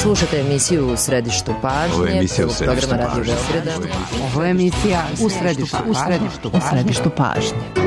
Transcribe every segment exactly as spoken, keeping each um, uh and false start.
Slušajte emisiju U središtu pažnje. Ovo je emisija U središtu pažnje. Ovo je emisija U središtu, u središtu, u središtu pažnje.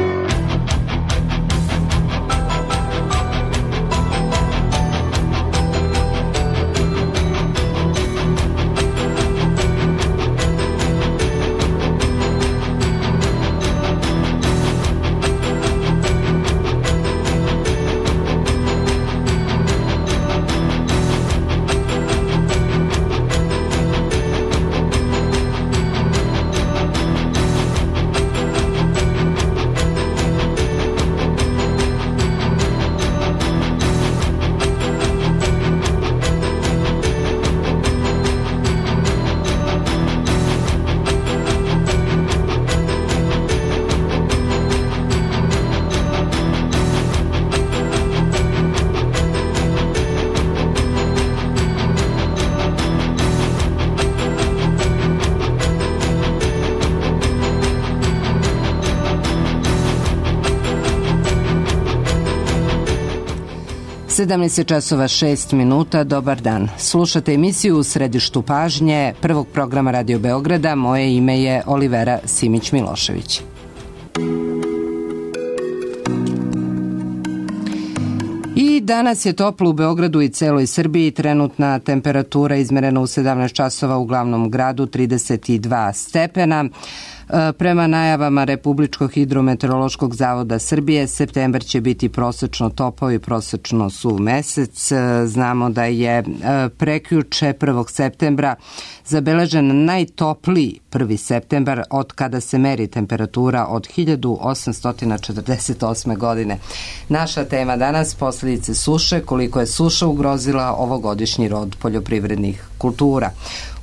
sedamnaest časova šest minuta, dobar dan. Slušate emisiju U središtu pažnje prvog programa Radio Beograda. Moje ime je Olivera Simić-Milošević. I danas je toplo u Beogradu i celoj Srbiji. Trenutna temperatura izmerena u sedamnaest časova u glavnom gradu, trideset dva stepena. Prema najavama Republičkog hidrometeorološkog zavoda Srbije, septembar će biti prosečno topao i prosečno suv mesec. Znamo da je prekjuče prvog septembra zabeležen najtopliji prvi septembar od kada se meri temperatura od hiljadu osamsto četrdeset osme. godine. Naša tema danas, posljedice suše, koliko je suša ugrozila ovogodišnji rod poljoprivrednih kultura.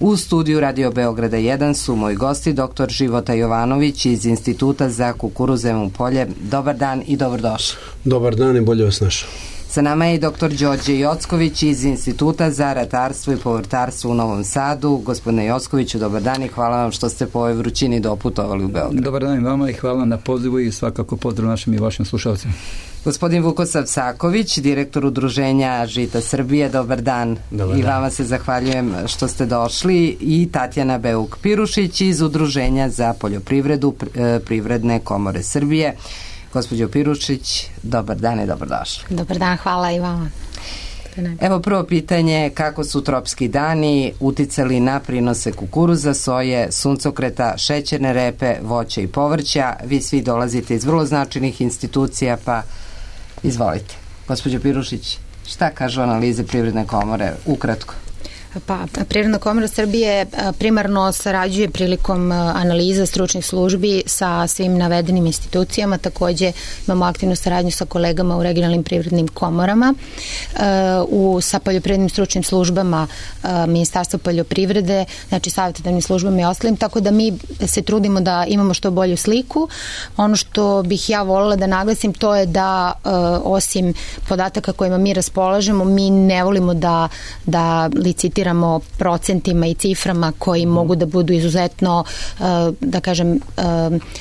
U studiju Radio Beograda jedan su moji gosti, doktor Života Jovanović iz Instituta za kukuruzevo polje. Dobar dan i dobrodošli. Dobar dan i bolje vas našao. Sa nama je i doktor Đorđe Jocković iz Instituta za ratarstvo i povrtarstvo u Novom Sadu. Gospodine Jockoviću, dobar dan i hvala vam što ste po ovoj vrućini doputovali u Beograd. Dobar dan i vama i hvala na pozivu i svakako pozdrav našim i vašim slušalcima. Gospodin Vukosav Saković, direktor Udruženja Žita Srbije, dobar dan. Dobar I dan. Vama se zahvaljujem što ste došli. I Tatjana Beuk-Pirušić iz Udruženja za poljoprivredu Privredne komore Srbije. Gospođo Pirušić, dobar dan i dobrodošli. Dobar dan, hvala i vama. Evo prvo pitanje, kako su tropski dani uticali na prinose kukuruza, soje, suncokreta, šećerne repe, voća i povrća? Vi svi dolazite iz vrlo značajnih institucija, pa izvolite. Gospođo Pirušić, šta kažu analize Privredne komore? Ukratko. Pa, Privredna komora Srbije primarno sarađuje prilikom analiza stručnih službi sa svim navedenim institucijama. Takođe imamo aktivnu saradnju sa kolegama u regionalnim privrednim komorama, u, sa poljoprivrednim stručnim službama Ministarstva poljoprivrede, znači savjetodavnim službama i ostalim, tako da mi se trudimo da imamo što bolju sliku. Ono što bih ja voljela da naglasim, to je da osim podataka kojima mi raspolažemo, mi ne volimo da, da licitiramo procentima i ciframa koji mogu da budu izuzetno, da kažem,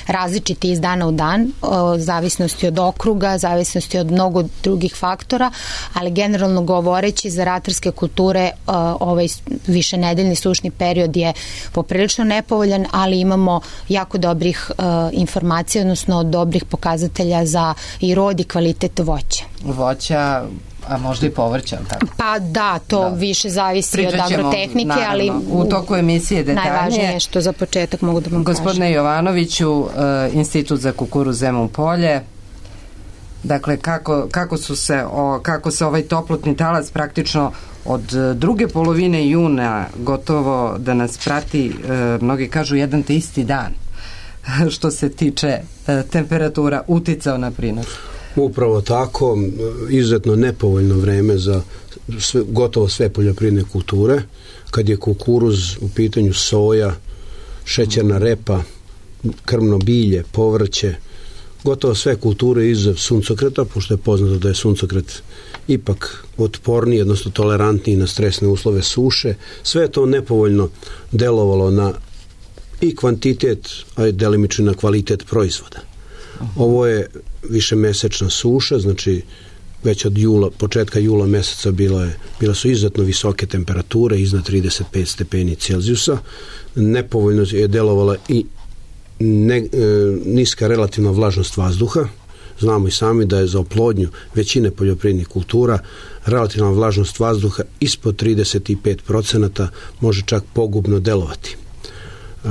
različiti iz dana u dan, zavisnosti od okruga, zavisnosti od mnogo drugih faktora, ali generalno govoreći za ratarske kulture ovaj višenedeljni sušni period je poprilično nepovoljan, ali imamo jako dobrih informacija, odnosno dobrih pokazatelja za i rod i kvalitet voća. Voća, a možda i povrća, tako? Pa da, to da. više zavisi Pričat od agrotehnike, naravno, ali u toku emisije detaljnije. Najvažnije što za početak mogu da vam kažem. Gospodine Jovanoviću, uh, Institut za kukuruzevo polje, dakle kako, kako, su se, o, kako se ovaj toplotni talas praktično od druge polovine juna gotovo da nas prati, uh, mnogi kažu jedan te isti dan, što se tiče uh, temperatura, uticao na prinos. Upravo tako, izuzetno nepovoljno vreme za sve, gotovo sve poljoprivredne kulture. Kad je kukuruz u pitanju, soja, šećerna repa, krmno bilje, povrće, gotovo sve kulture izuzev suncokreta, pošto je poznato da je suncokret ipak otporniji, odnosno tolerantniji na stresne uslove suše. Sve je to nepovoljno delovalo na i kvantitet, a i delimično na kvalitet proizvoda. Ovo je višemesečna suša, znači već od jula, početka jula meseca bilo je, bile su izuzetno visoke temperature, iznad trideset pet stepeni Celzijusa. Nepovoljno je delovala i ne, e, niska relativna vlažnost vazduha. Znamo i sami da je za oplodnju većine poljoprivrednih kultura relativna vlažnost vazduha ispod trideset pet procenata može čak pogubno delovati. E,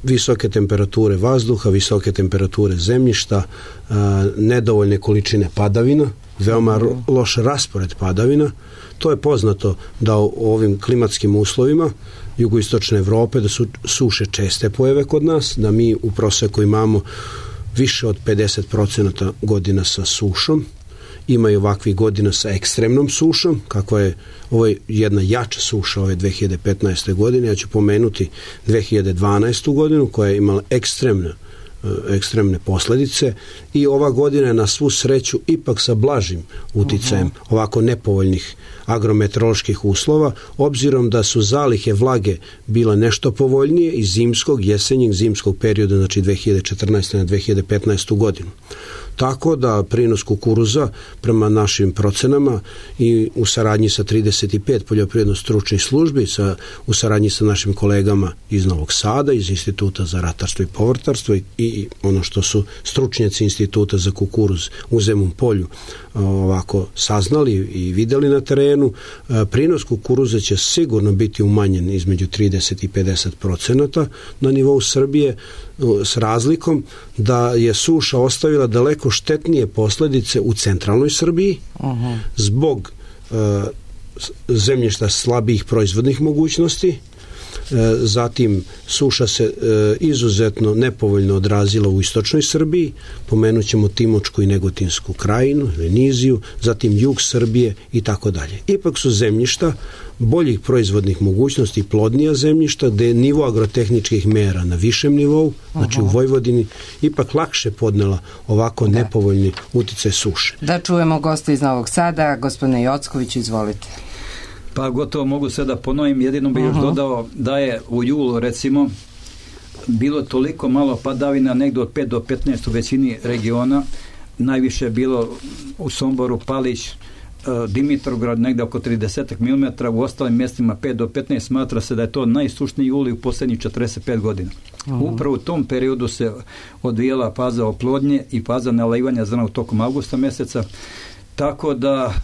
visoke temperature vazduha, visoke temperature zemljišta, e, nedovoljne količine padavina, veoma loš raspored padavina. To je poznato da u ovim klimatskim uslovima jugoistočne Evrope da su suše česte pojave kod nas, da mi u proseku imamo više od pedeset procenata godina sa sušom, ima i ovakvih godina sa ekstremnom sušom, kakva je ovo je jedna jača suša ove dve hiljade petnaeste. godine. Ja ću pomenuti dve hiljade dvanaestu. godinu koja je imala ekstremne ekstremne posledice i ova godina je na svu sreću ipak sa blažim uticajem uh-huh. ovako nepovoljnih agrometeoroloških uslova, obzirom da su zalihe vlage bila nešto povoljnije iz zimskog, jesenjeg, zimskog perioda, znači dve hiljade četrnaeste. na dve hiljade petnaestu. godinu. Tako da prinos kukuruza prema našim procenama i u saradnji sa trideset pet poljoprivredno stručnih službi, sa, u saradnji sa našim kolegama iz Novog Sada, iz Instituta za ratarstvo i povrtarstvo i, i ono što su stručnjaci Instituta za kukuruz u Zemun Polju ovako saznali i videli na terenu, prinos kukuruza će sigurno biti umanjen između trideset i pedeset procenata na nivou Srbije, s razlikom da je suša ostavila daleko štetnije posledice u centralnoj Srbiji uh-huh. zbog uh, zemljišta slabijih proizvodnih mogućnosti. Zatim suša se izuzetno nepovoljno odrazila u istočnoj Srbiji, pomenut ćemo Timočku i Negotinsku krajinu, Veniziju, zatim jug Srbije i tako dalje. Ipak su zemljišta boljih proizvodnih mogućnosti, plodnija zemljišta, gde je nivo agrotehničkih mera na višem nivou, znači u Vojvodini, ipak lakše podnela ovako da. nepovoljni uticaj suše. Da čujemo gosta iz Novog Sada, gospodine Jocković, izvolite. Pa gotovo mogu sve da ponovim, jedino bih još uh-huh. dodao da je u julu recimo bilo toliko malo padavina, negdje od pet do petnaest u većini regiona, najviše je bilo u Somboru, Palić, Dimitrovgrad negdje oko trideset milimetara, u ostalim mjestima pet do petnaest, smatra se da je to najsušniji juli u posljednjih četrdeset pet godina. Uh-huh. Upravo u tom periodu se odvijela faza oplodnje i faza nalivanja zrna u tokom avgusta mjeseca. Tako da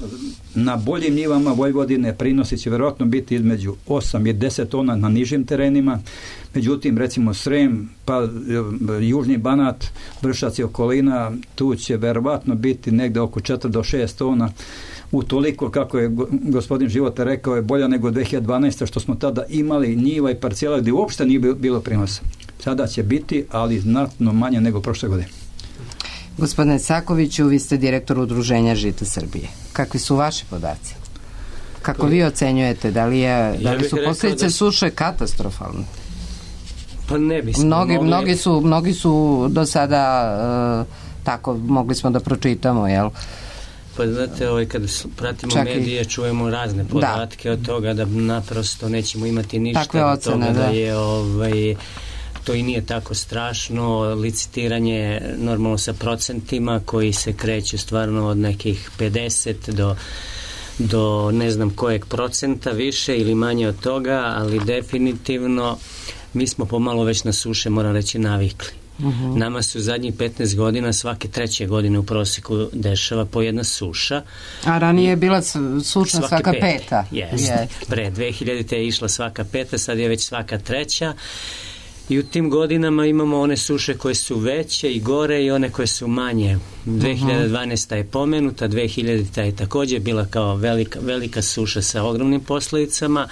na boljim njivama Vojvodine prinosi će vjerojatno biti između osam i deset tona na nižim terenima. Međutim, recimo Srem, pa Južni Banat, Vršac i okolina, tu će vjerojatno biti negdje oko četiri do šest tona. Utoliko, kako je gospodin Života rekao, je bolja nego dve hiljade dvanaeste. što smo tada imali njiva i parcijela gdje uopšte nije bilo prinosa. Sada će biti, ali znatno manje nego prošle godine. Gospodine Sakoviću, vi ste direktor Udruženja Žita Srbije. Kakvi su vaši podaci? Kako vi ocenjujete? Da li, je, da li ja su posljedice da... suše katastrofalne? Pa ne bismo mnogi, mogli... mnogi, su, mnogi su do sada uh, tako, mogli smo da pročitamo, jel? Pa znate, ovaj, kad pratimo Čak medije, čujemo razne podatke da. od toga da naprosto nećemo imati ništa Takve od ocene, toga da, da je ovaj, to i nije tako strašno, licitiranje normalno sa procentima koji se kreću stvarno od nekih pedeset do, do ne znam kojeg procenta više ili manje od toga, ali definitivno mi smo pomalo već na suše, moram reći, navikli. Uh-huh. Nama su zadnjih petnaest godina svake treće godine u prosjeku dešava po jedna suša. A ranije je bila suša svaka, svaka peta. peta. Yes. Yes. Pre dve hiljadite je išla svaka peta, sad je već svaka treća. I u tim godinama imamo one suše koje su veće i gore i one koje su manje. dve hiljade dvanaesta. je pomenuta, dve hiljadita. je također bila kao velika, velika suša sa ogromnim posljedicama.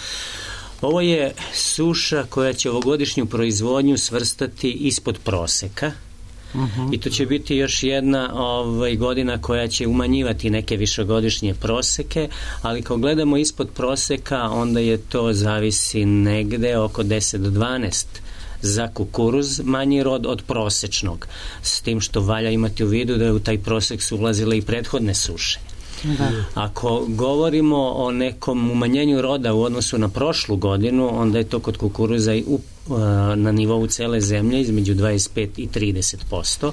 Ovo je suša koja će ovogodišnju proizvodnju svrstati ispod proseka. Uh-huh. I to će biti još jedna ovaj, godina koja će umanjivati neke višegodišnje proseke, ali kao gledamo ispod proseka, onda je to zavisi negde oko deset do dvanaest za kukuruz, manji rod od prosečnog, s tim što valja imati u vidu da je u taj prosek su ulazile i prethodne suše. Da. Ako govorimo o nekom umanjenju roda u odnosu na prošlu godinu, onda je to kod kukuruza i u, na nivou cele zemlje između dvadeset pet i trideset posto.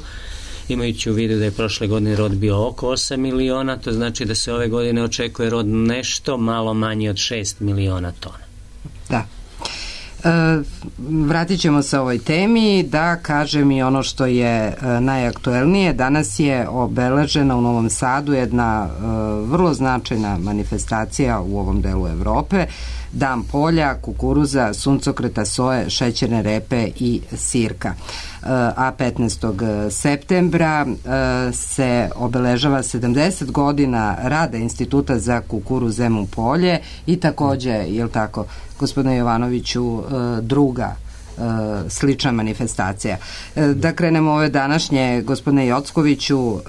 imajući u vidu da je prošle godine rod bio oko osam miliona, to znači da se ove godine očekuje rod nešto malo manje od šest miliona tona. Da. E, vratit ćemo se ovoj temi, da kažem i ono što je e, najaktuelnije. Danas je obeležena u Novom Sadu jedna e, vrlo značajna manifestacija u ovom delu Evrope, Dan polja, kukuruza, suncokreta, soje, šećerne repe i sirka. A petnaestog septembra se obeležava sedamdeset godina rada Instituta za kukuruz Zemun Polje i takođe, je li tako, gospodine Jovanoviću, druga slična manifestacija. Da krenemo ove današnje, gospodine Jockoviću,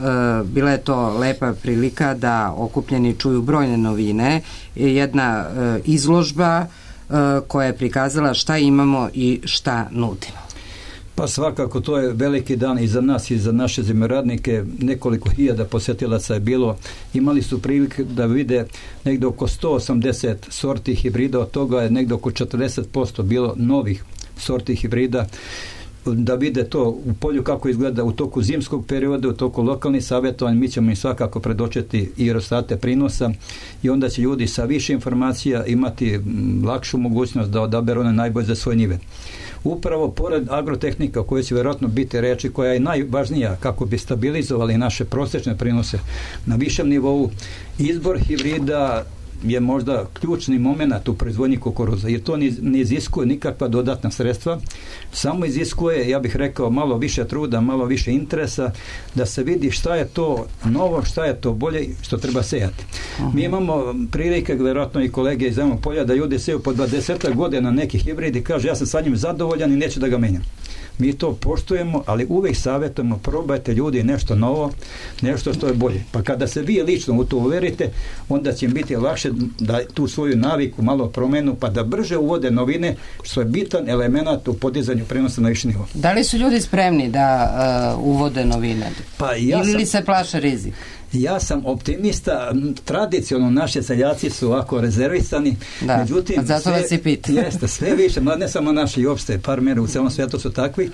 bila je to lepa prilika da okupljeni čuju brojne novine, jedna izložba koja je prikazala šta imamo i šta nudimo. Pa svakako to je veliki dan i za nas i za naše zemljoradnike. Nekoliko hiljada posjetilaca je bilo. Imali su prilike da vide negdje oko sto osamdeset sorti hibrida, od toga je negdje oko četrdeset posto bilo novih sorti hibrida, da vide to u polju kako izgleda u toku zimskog perioda, u toku lokalnih savjetovanja. Mi ćemo im svakako predočiti i rezultate prinosa i onda će ljudi sa više informacija imati lakšu mogućnost da odaberu one najbolje za svoje njive. Upravo pored agrotehnika, o kojoj će vjerojatno biti reči, koja je najvažnija kako bi stabilizovali naše prosječne prinose na višem nivou, izbor hibrida je možda ključni moment u proizvodnji kukuruza, jer to ne iziskuje nikakva dodatna sredstva, samo iziskuje, ja bih rekao, malo više truda, malo više interesa, da se vidi šta je to novo, šta je to bolje, što treba sejati. Uh-huh. Mi imamo prilike, vjerojatno i kolege iz Zemunog polja, da ljudi seju po dvadeset godina neki hibrid i kaže ja sam sa njim zadovoljan i neću da ga menjam. Mi to poštujemo, ali uvijek savjetujemo, probajte ljudi nešto novo, nešto što je bolje. Pa kada se vi lično u to uverite, onda će im biti lakše da tu svoju naviku malo promenu, pa da brže uvode novine, što je bitan element u podizanju prenosa na viši nivo. Da li su ljudi spremni da uh, uvode novine? Pa ja Ili sam... li se plaše rizik? Ja sam optimista, tradicionalno naši seljaci su ovako rezervisani, da, međutim, zato sve, vas i pita. Jeste, sve više, ne samo naši i opšte, par mjera u celom svijetu su takvi,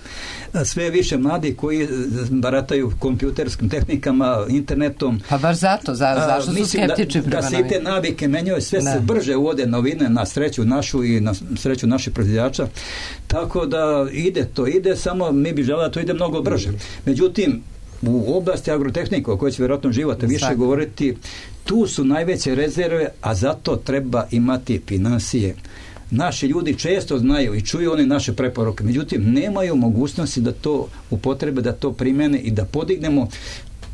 sve više mladi koji barataju kompjuterskim tehnikama, internetom. Pa baš zato, za, zašto su skeptični prema da, da se i te navike menjaju, sve da. se brže uvode novine na sreću našu i na sreću naših proizvođača, tako da ide to, ide, samo mi bi želeli da to ide mnogo brže. Međutim, u oblasti agrotehnika, o kojoj će vjerojatno života više Sad. govoriti, tu su najveće rezerve, a zato treba imati financije. Naši ljudi često znaju i čuju one naše preporuke, međutim nemaju mogućnosti da to upotrebe, da to primene i da podignemo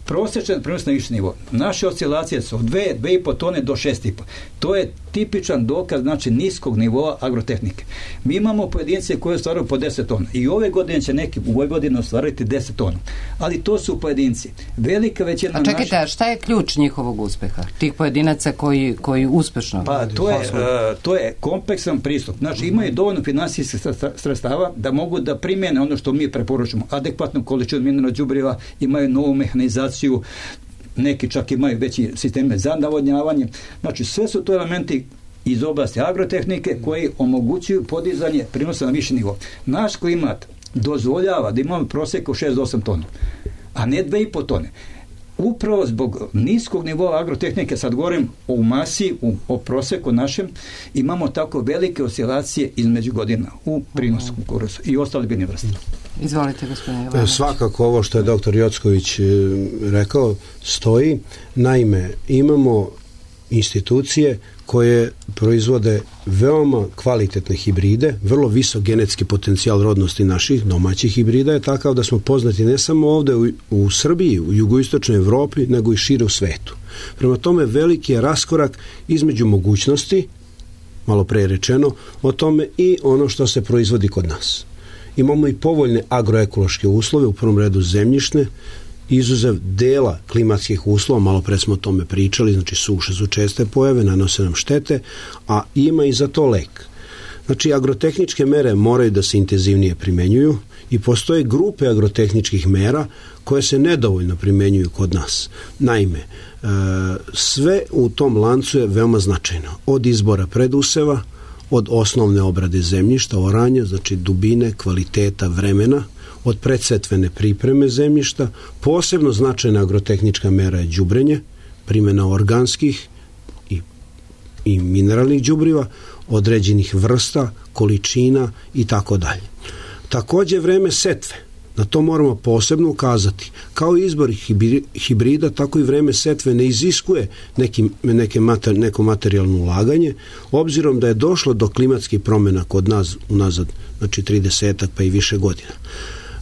prosječan prenos na viši nivo. Naše oscilacije su od dve, dve i po tone do šest i po. To je tipičan dokaz, znači, niskog nivoa agrotehnike. Mi imamo pojedince koje ostvaruju po deset tona i ove godine će neki u ovoj godini ostvariti deset tona. Ali to su pojedinci. Velika većina... A čekajte, naša... šta je ključ njihovog uspeha? Tih pojedinaca koji, koji uspešno... Pa to je, uh, to je kompleksan pristup. Znači, imaju dovoljno finansijskih sredstava da mogu da primjene ono što mi preporučujemo. Adekvatnu količinu mineralnog đubriva, imaju novu mehanizaciju, neki čak imaju veći sisteme za navodnjavanje. Znači, sve su to elementi iz oblasti agrotehnike koji omogućuju podizanje prinosa na viši nivo. Naš klimat dozvoljava da imamo prosjek od šest do osam tona, a ne dve i po tone. Upravo zbog niskog nivoa agrotehnike, sad govorim o masi, u, o prosjeku našem, imamo tako velike oscilacije između godina u prinosu kukuruza i ostali biljne vrste. Izvolite, gospodine Jovanović. Svakako ovo što je doktor Jocković rekao stoji. Naime, imamo institucije koje proizvode veoma kvalitetne hibride, vrlo visok genetski potencijal rodnosti naših domaćih hibrida je takav da smo poznati ne samo ovde u, u Srbiji, u jugoistočnoj Evropi, nego i šire u svetu. Prema tome, veliki je raskorak između mogućnosti, malo pre rečeno, o tome i ono što se proizvodi kod nas. Imamo i povoljne agroekološke uslove, u prvom redu zemljišne, izuzev dela klimatskih uslova, malo pre smo o tome pričali, znači suše su česte pojave, nanose nam štete, a ima i za to lek. Znači, agrotehničke mere moraju da se intenzivnije primenjuju i postoje grupe agrotehničkih mera koje se nedovoljno primenjuju kod nas. Naime, sve u tom lancu je veoma značajno. Od izbora preduseva, od osnovne obrade zemljišta, oranja, znači dubine, kvaliteta, vremena, od predsetvene pripreme zemljišta. Posebno značajna agrotehnička mera je đubrenje, primjena organskih i, i mineralnih đubriva, određenih vrsta, količina i tako dalje. Takođe vreme setve, na to moramo posebno ukazati. Kao izbor hibrida, tako i vreme setve ne iziskuje neki, neke mater, neko materijalno ulaganje, obzirom da je došlo do klimatskih promjena kod nas unazad, znači tridesetak pa i više godina.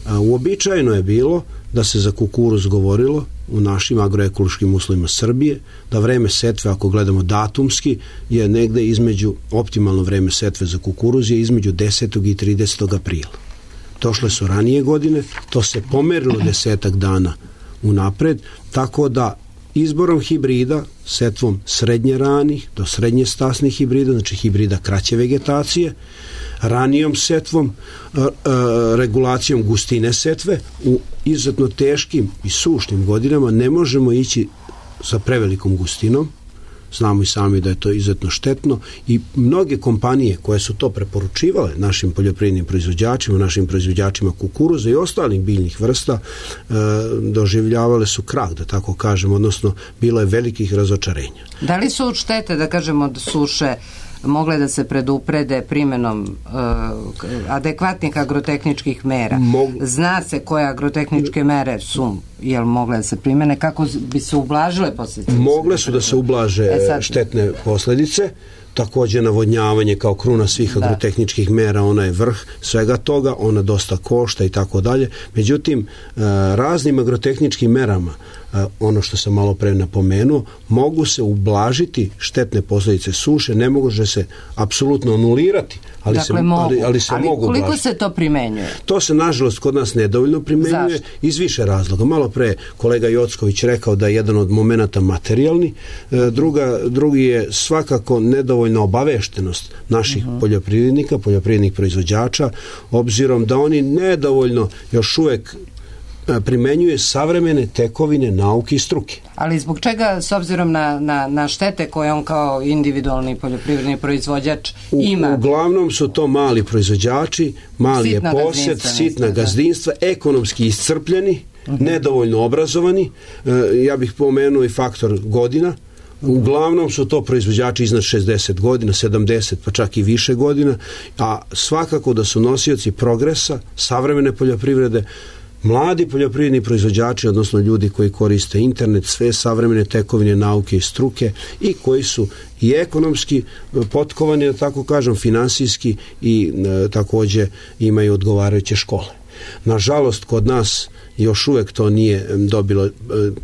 A, uobičajeno je bilo da se za kukuruz govorilo u našim agroekološkim uslovima Srbije, da vreme setve, ako gledamo datumski, je negde između, optimalno vreme setve za kukuruz je između desetog i tridesetog aprila. Došle su ranije godine, to se pomerilo desetak dana unapred, tako da izborom hibrida, setvom srednje ranih do srednje stasnih hibrida, znači hibrida kraće vegetacije, ranijom setvom, regulacijom gustine setve, u izuzetno teškim i sušnim godinama ne možemo ići sa prevelikom gustinom. Znamo i sami da je to izuzetno štetno i mnoge kompanije koje su to preporučivale našim poljoprivrednim proizvođačima, našim proizvođačima kukuruza i ostalih biljnih vrsta e, doživljavale su krah, da tako kažem, odnosno bilo je velikih razočarenja. Da li su štete, da kažemo, od suše mogle da se preduprede primjenom uh, adekvatnih agrotehničkih mera? Mog... Zna se koje agrotehničke mere su, jel mogle da se primene, kako bi se ublažile posljedice? Mogle su da se ublaže e sad... štetne posljedice, takođe navodnjavanje kao kruna svih da. agrotehničkih mera, ona je vrh svega toga, ona dosta košta i tako dalje. Međutim, raznim agrotehničkim merama, ono što sam malo pre napomenuo, mogu se ublažiti štetne posljedice suše, ne može se apsolutno anulirati, ali, dakle, se, mogu. ali, ali se ali mogu koliko ublažiti. Se to primenjuje? To se, nažalost, kod nas nedovoljno primenjuje. Zašto? Iz više razloga. Malo pre kolega Jocković rekao da je jedan od momenata materijalni, druga, drugi je svakako nedovoljna obaveštenost naših uh-huh. poljoprivrednika, poljoprivrednih proizvođača, obzirom da oni nedovoljno još uvek primenjuje savremene tekovine nauke i struke. Ali zbog čega, s obzirom na, na, na štete koje on kao individualni poljoprivredni proizvođač ima? U, uglavnom su to mali proizvođači, mali je posjed, sitna gazdinstva, ekonomski iscrpljeni, uh-huh. nedovoljno obrazovani. E, ja bih pomenuo i faktor godina. Uglavnom su to proizvođači iznad šezdeset godina, sedamdeset pa čak i više godina, a svakako da su nosioci progresa, savremene poljoprivrede, mladi poljoprivredni proizvođači, odnosno ljudi koji koriste internet, sve savremene tekovine nauke i struke i koji su i ekonomski potkovani, da tako kažem, finansijski i e, takođe imaju odgovarajuće škole. Nažalost, kod nas još uvek to nije dobilo e,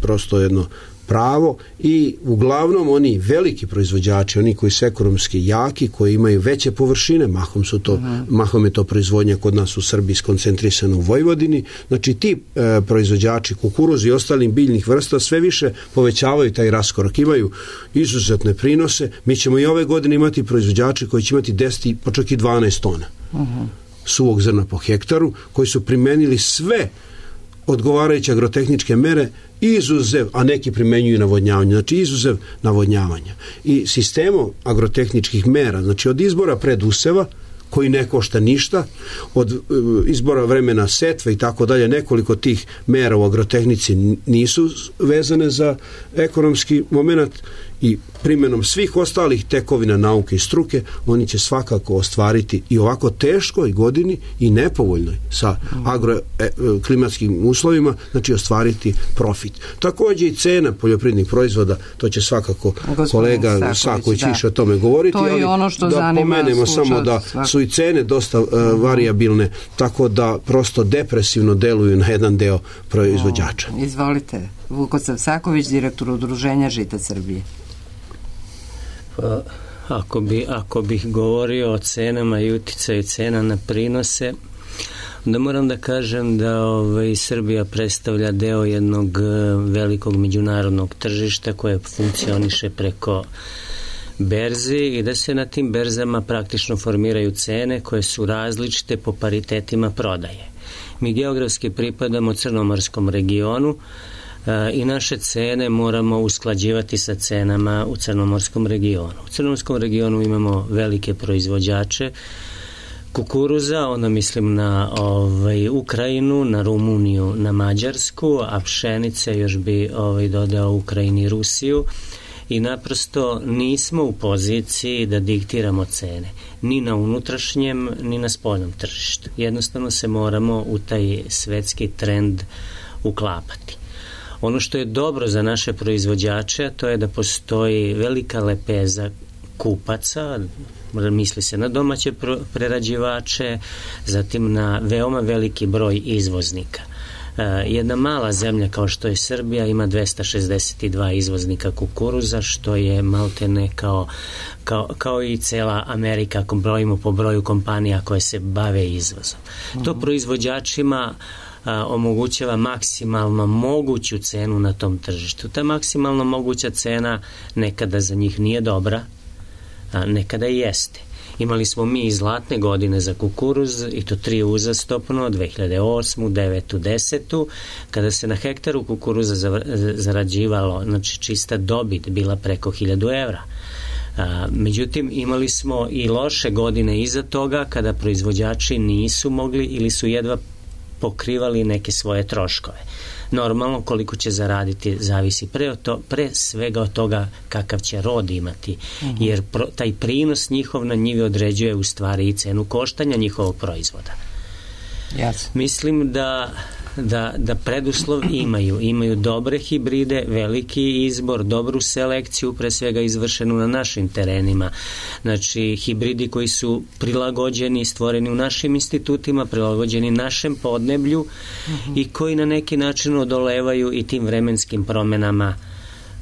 prosto jedno pravo i uglavnom oni veliki proizvođači, oni koji su ekonomski jaki, koji imaju veće površine, mahom su to, uh-huh. mahom je to proizvodnja kod nas u Srbiji skoncentrisana u Vojvodini, znači ti e, proizvođači kukuruza i ostalim biljnih vrsta sve više povećavaju taj raskorak, imaju izuzetne prinose. Mi ćemo i ove godine imati proizvođači koji će imati deset pa čak i dvanaest tona uh-huh. suvog zrna po hektaru, koji su primenili sve odgovarajuće agrotehničke mere, izuzev, a neki primenjuju navodnjavanje, znači izuzev navodnjavanja. I sistemom agrotehničkih mera, znači od izbora preduseva, koji ne košta ništa, od izbora vremena setve i tako dalje, nekoliko tih mera u agrotehnici nisu vezane za ekonomski moment i primjenom svih ostalih tekovina nauke i struke, oni će svakako ostvariti i ovako teškoj godini i nepovoljnoj sa agroklimatskim uslovima, znači ostvariti profit. Takođe i cena poljoprivrednih proizvoda, to će svakako Gospodin kolega Saković više o tome govoriti, to je ono što da pomenemo samo da svakako. Su i cene dosta uh, variabilne, tako da prosto depresivno deluju na jedan deo proizvođača. O, izvolite, Vukosav Saković, direktor Udruženja Žita Srbije. Pa, ako, bi, ako bih govorio o cenama i uticaju cena na prinose, onda moram da kažem da ovaj, Srbija predstavlja deo jednog velikog međunarodnog tržišta koje funkcioniše preko berzi i da se na tim berzama praktično formiraju cene koje su različite po paritetima prodaje. Mi geografski pripadamo crnomorskom regionu i naše cene moramo usklađivati sa cenama u crnomorskom regionu. U crnomorskom regionu imamo velike proizvođače kukuruza, onda mislim na ovaj, Ukrajinu, na Rumuniju, na Mađarsku, a pšenice još bi ovaj, dodao Ukrajini i Rusiju i naprosto nismo u poziciji da diktiramo cene, ni na unutrašnjem, ni na spoljnom tržištu. Jednostavno se moramo u taj svetski trend uklapati. Ono što je dobro za naše proizvođače, to je da postoji velika lepeza kupaca, misli se na domaće prerađivače, zatim na veoma veliki broj izvoznika. Jedna mala zemlja kao što je Srbija ima dvesta šezdeset dva izvoznika kukuruza, što je maltene kao, kao, kao i cela Amerika, ako brojimo po broju kompanija koje se bave izvozom. Uh-huh. To proizvođačima a, omogućava maksimalno moguću cenu na tom tržištu. Ta maksimalno moguća cena nekada za njih nije dobra, a nekada i jeste. Imali smo mi i zlatne godine za kukuruz i to tri uzastopno, dve hiljade osmu, devetu, desetu, kada se na hektaru kukuruza zarađivalo, znači čista dobit bila preko hiljadu evra. A, međutim, imali smo i loše godine iza toga kada proizvođači nisu mogli ili su jedva pokrivali neke svoje troškove. Normalno, koliko će zaraditi zavisi pre, to, pre svega od toga kakav će rod imati, uh-huh. jer pro, taj prinos njihov na njivi određuje u stvari i cenu koštanja njihovog proizvoda. Yes. Mislim da Da, da preduslov imaju. Imaju dobre hibride, veliki izbor, dobru selekciju, pre svega izvršenu na našim terenima. Znači, hibridi koji su prilagođeni, stvoreni u našim institutima, prilagođeni našem podneblju uh-huh. i koji na neki način odolevaju i tim vremenskim promenama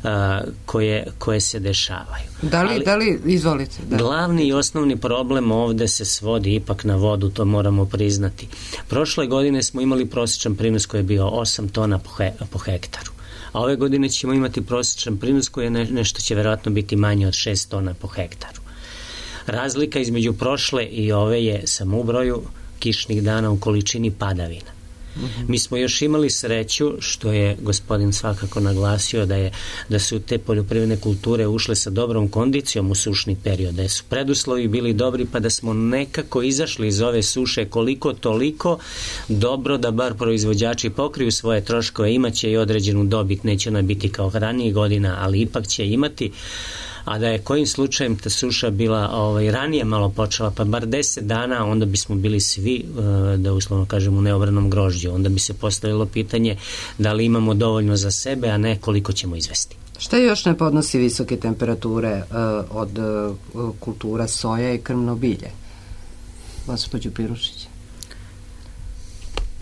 a, koje, koje se dešavaju. Da li, Ali, da li izvolite? Da. Glavni i osnovni problem ovde se svodi ipak na vodu, to moramo priznati. Prošle godine smo imali prosječan prinos koji je bio osam tona po, he, po hektaru. A ove godine ćemo imati prosječan prinos koji je ne, nešto će verovatno biti manje od šest tona po hektaru. Razlika između prošle i ove je samo u broju kišnih dana u količini padavina. Mi smo još imali sreću, što je gospodin svakako naglasio, da je da su te poljoprivredne kulture ušle sa dobrom kondicijom u sušni period, da su preduslovi bili dobri, pa da smo nekako izašli iz ove suše koliko toliko dobro da bar proizvođači pokriju svoje troškove, imaće i određenu dobit, neće ona biti kao ranijih godina, ali ipak će imati. A da je kojim slučajem ta suša bila ovaj, ranije malo počela, pa bar deset dana, onda bismo bili svi, da uslovno kažem, u neobranom grožđu. Onda bi se postavilo pitanje da li imamo dovoljno za sebe, a ne koliko ćemo izvesti. Šta još ne podnosi visoke temperature uh, od uh, kultura soja i krmno bilje? Gospođo Pirušić.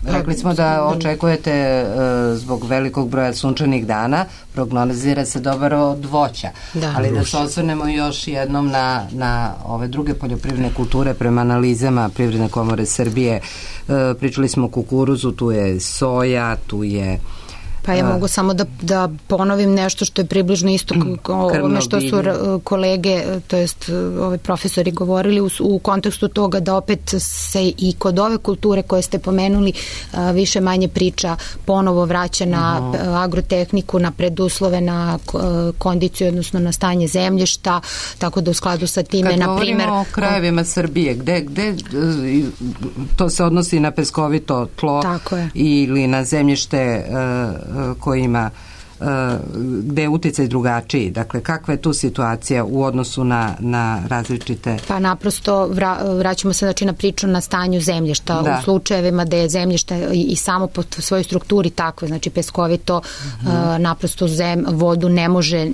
Rekli smo da očekujete uh, zbog velikog broja sunčanih dana, prognozira se dobar od voća, da. Ali da se osvrnemo još jednom na, na ove druge poljoprivredne kulture prema analizama Privredne komore Srbije. Uh, pričali smo o kukuruzu, tu je soja, tu je Pa ja mogu samo da, da ponovim nešto što je približno isto ono što su kolege, to jest ovi profesori govorili u, u kontekstu toga da opet se i kod ove kulture koje ste pomenuli više manje priča ponovo vraća na uh-huh. agrotehniku, na preduslove, na kondiciju, odnosno na stanje zemljišta, tako da u skladu sa time, kad na primjer... Kad govorimo o krajevima Srbije, gde, gde to se odnosi na peskovito tlo ili na zemljište koji ima gde je uticaj drugačiji. Dakle, kakva je tu situacija u odnosu na, na različite... Pa naprosto vra, vraćamo se znači na priču na stanju zemljišta. Da. U slučajevima da je zemljište i, i samo po svojoj strukturi takve, znači peskovito, uh, naprosto zem, vodu ne može e,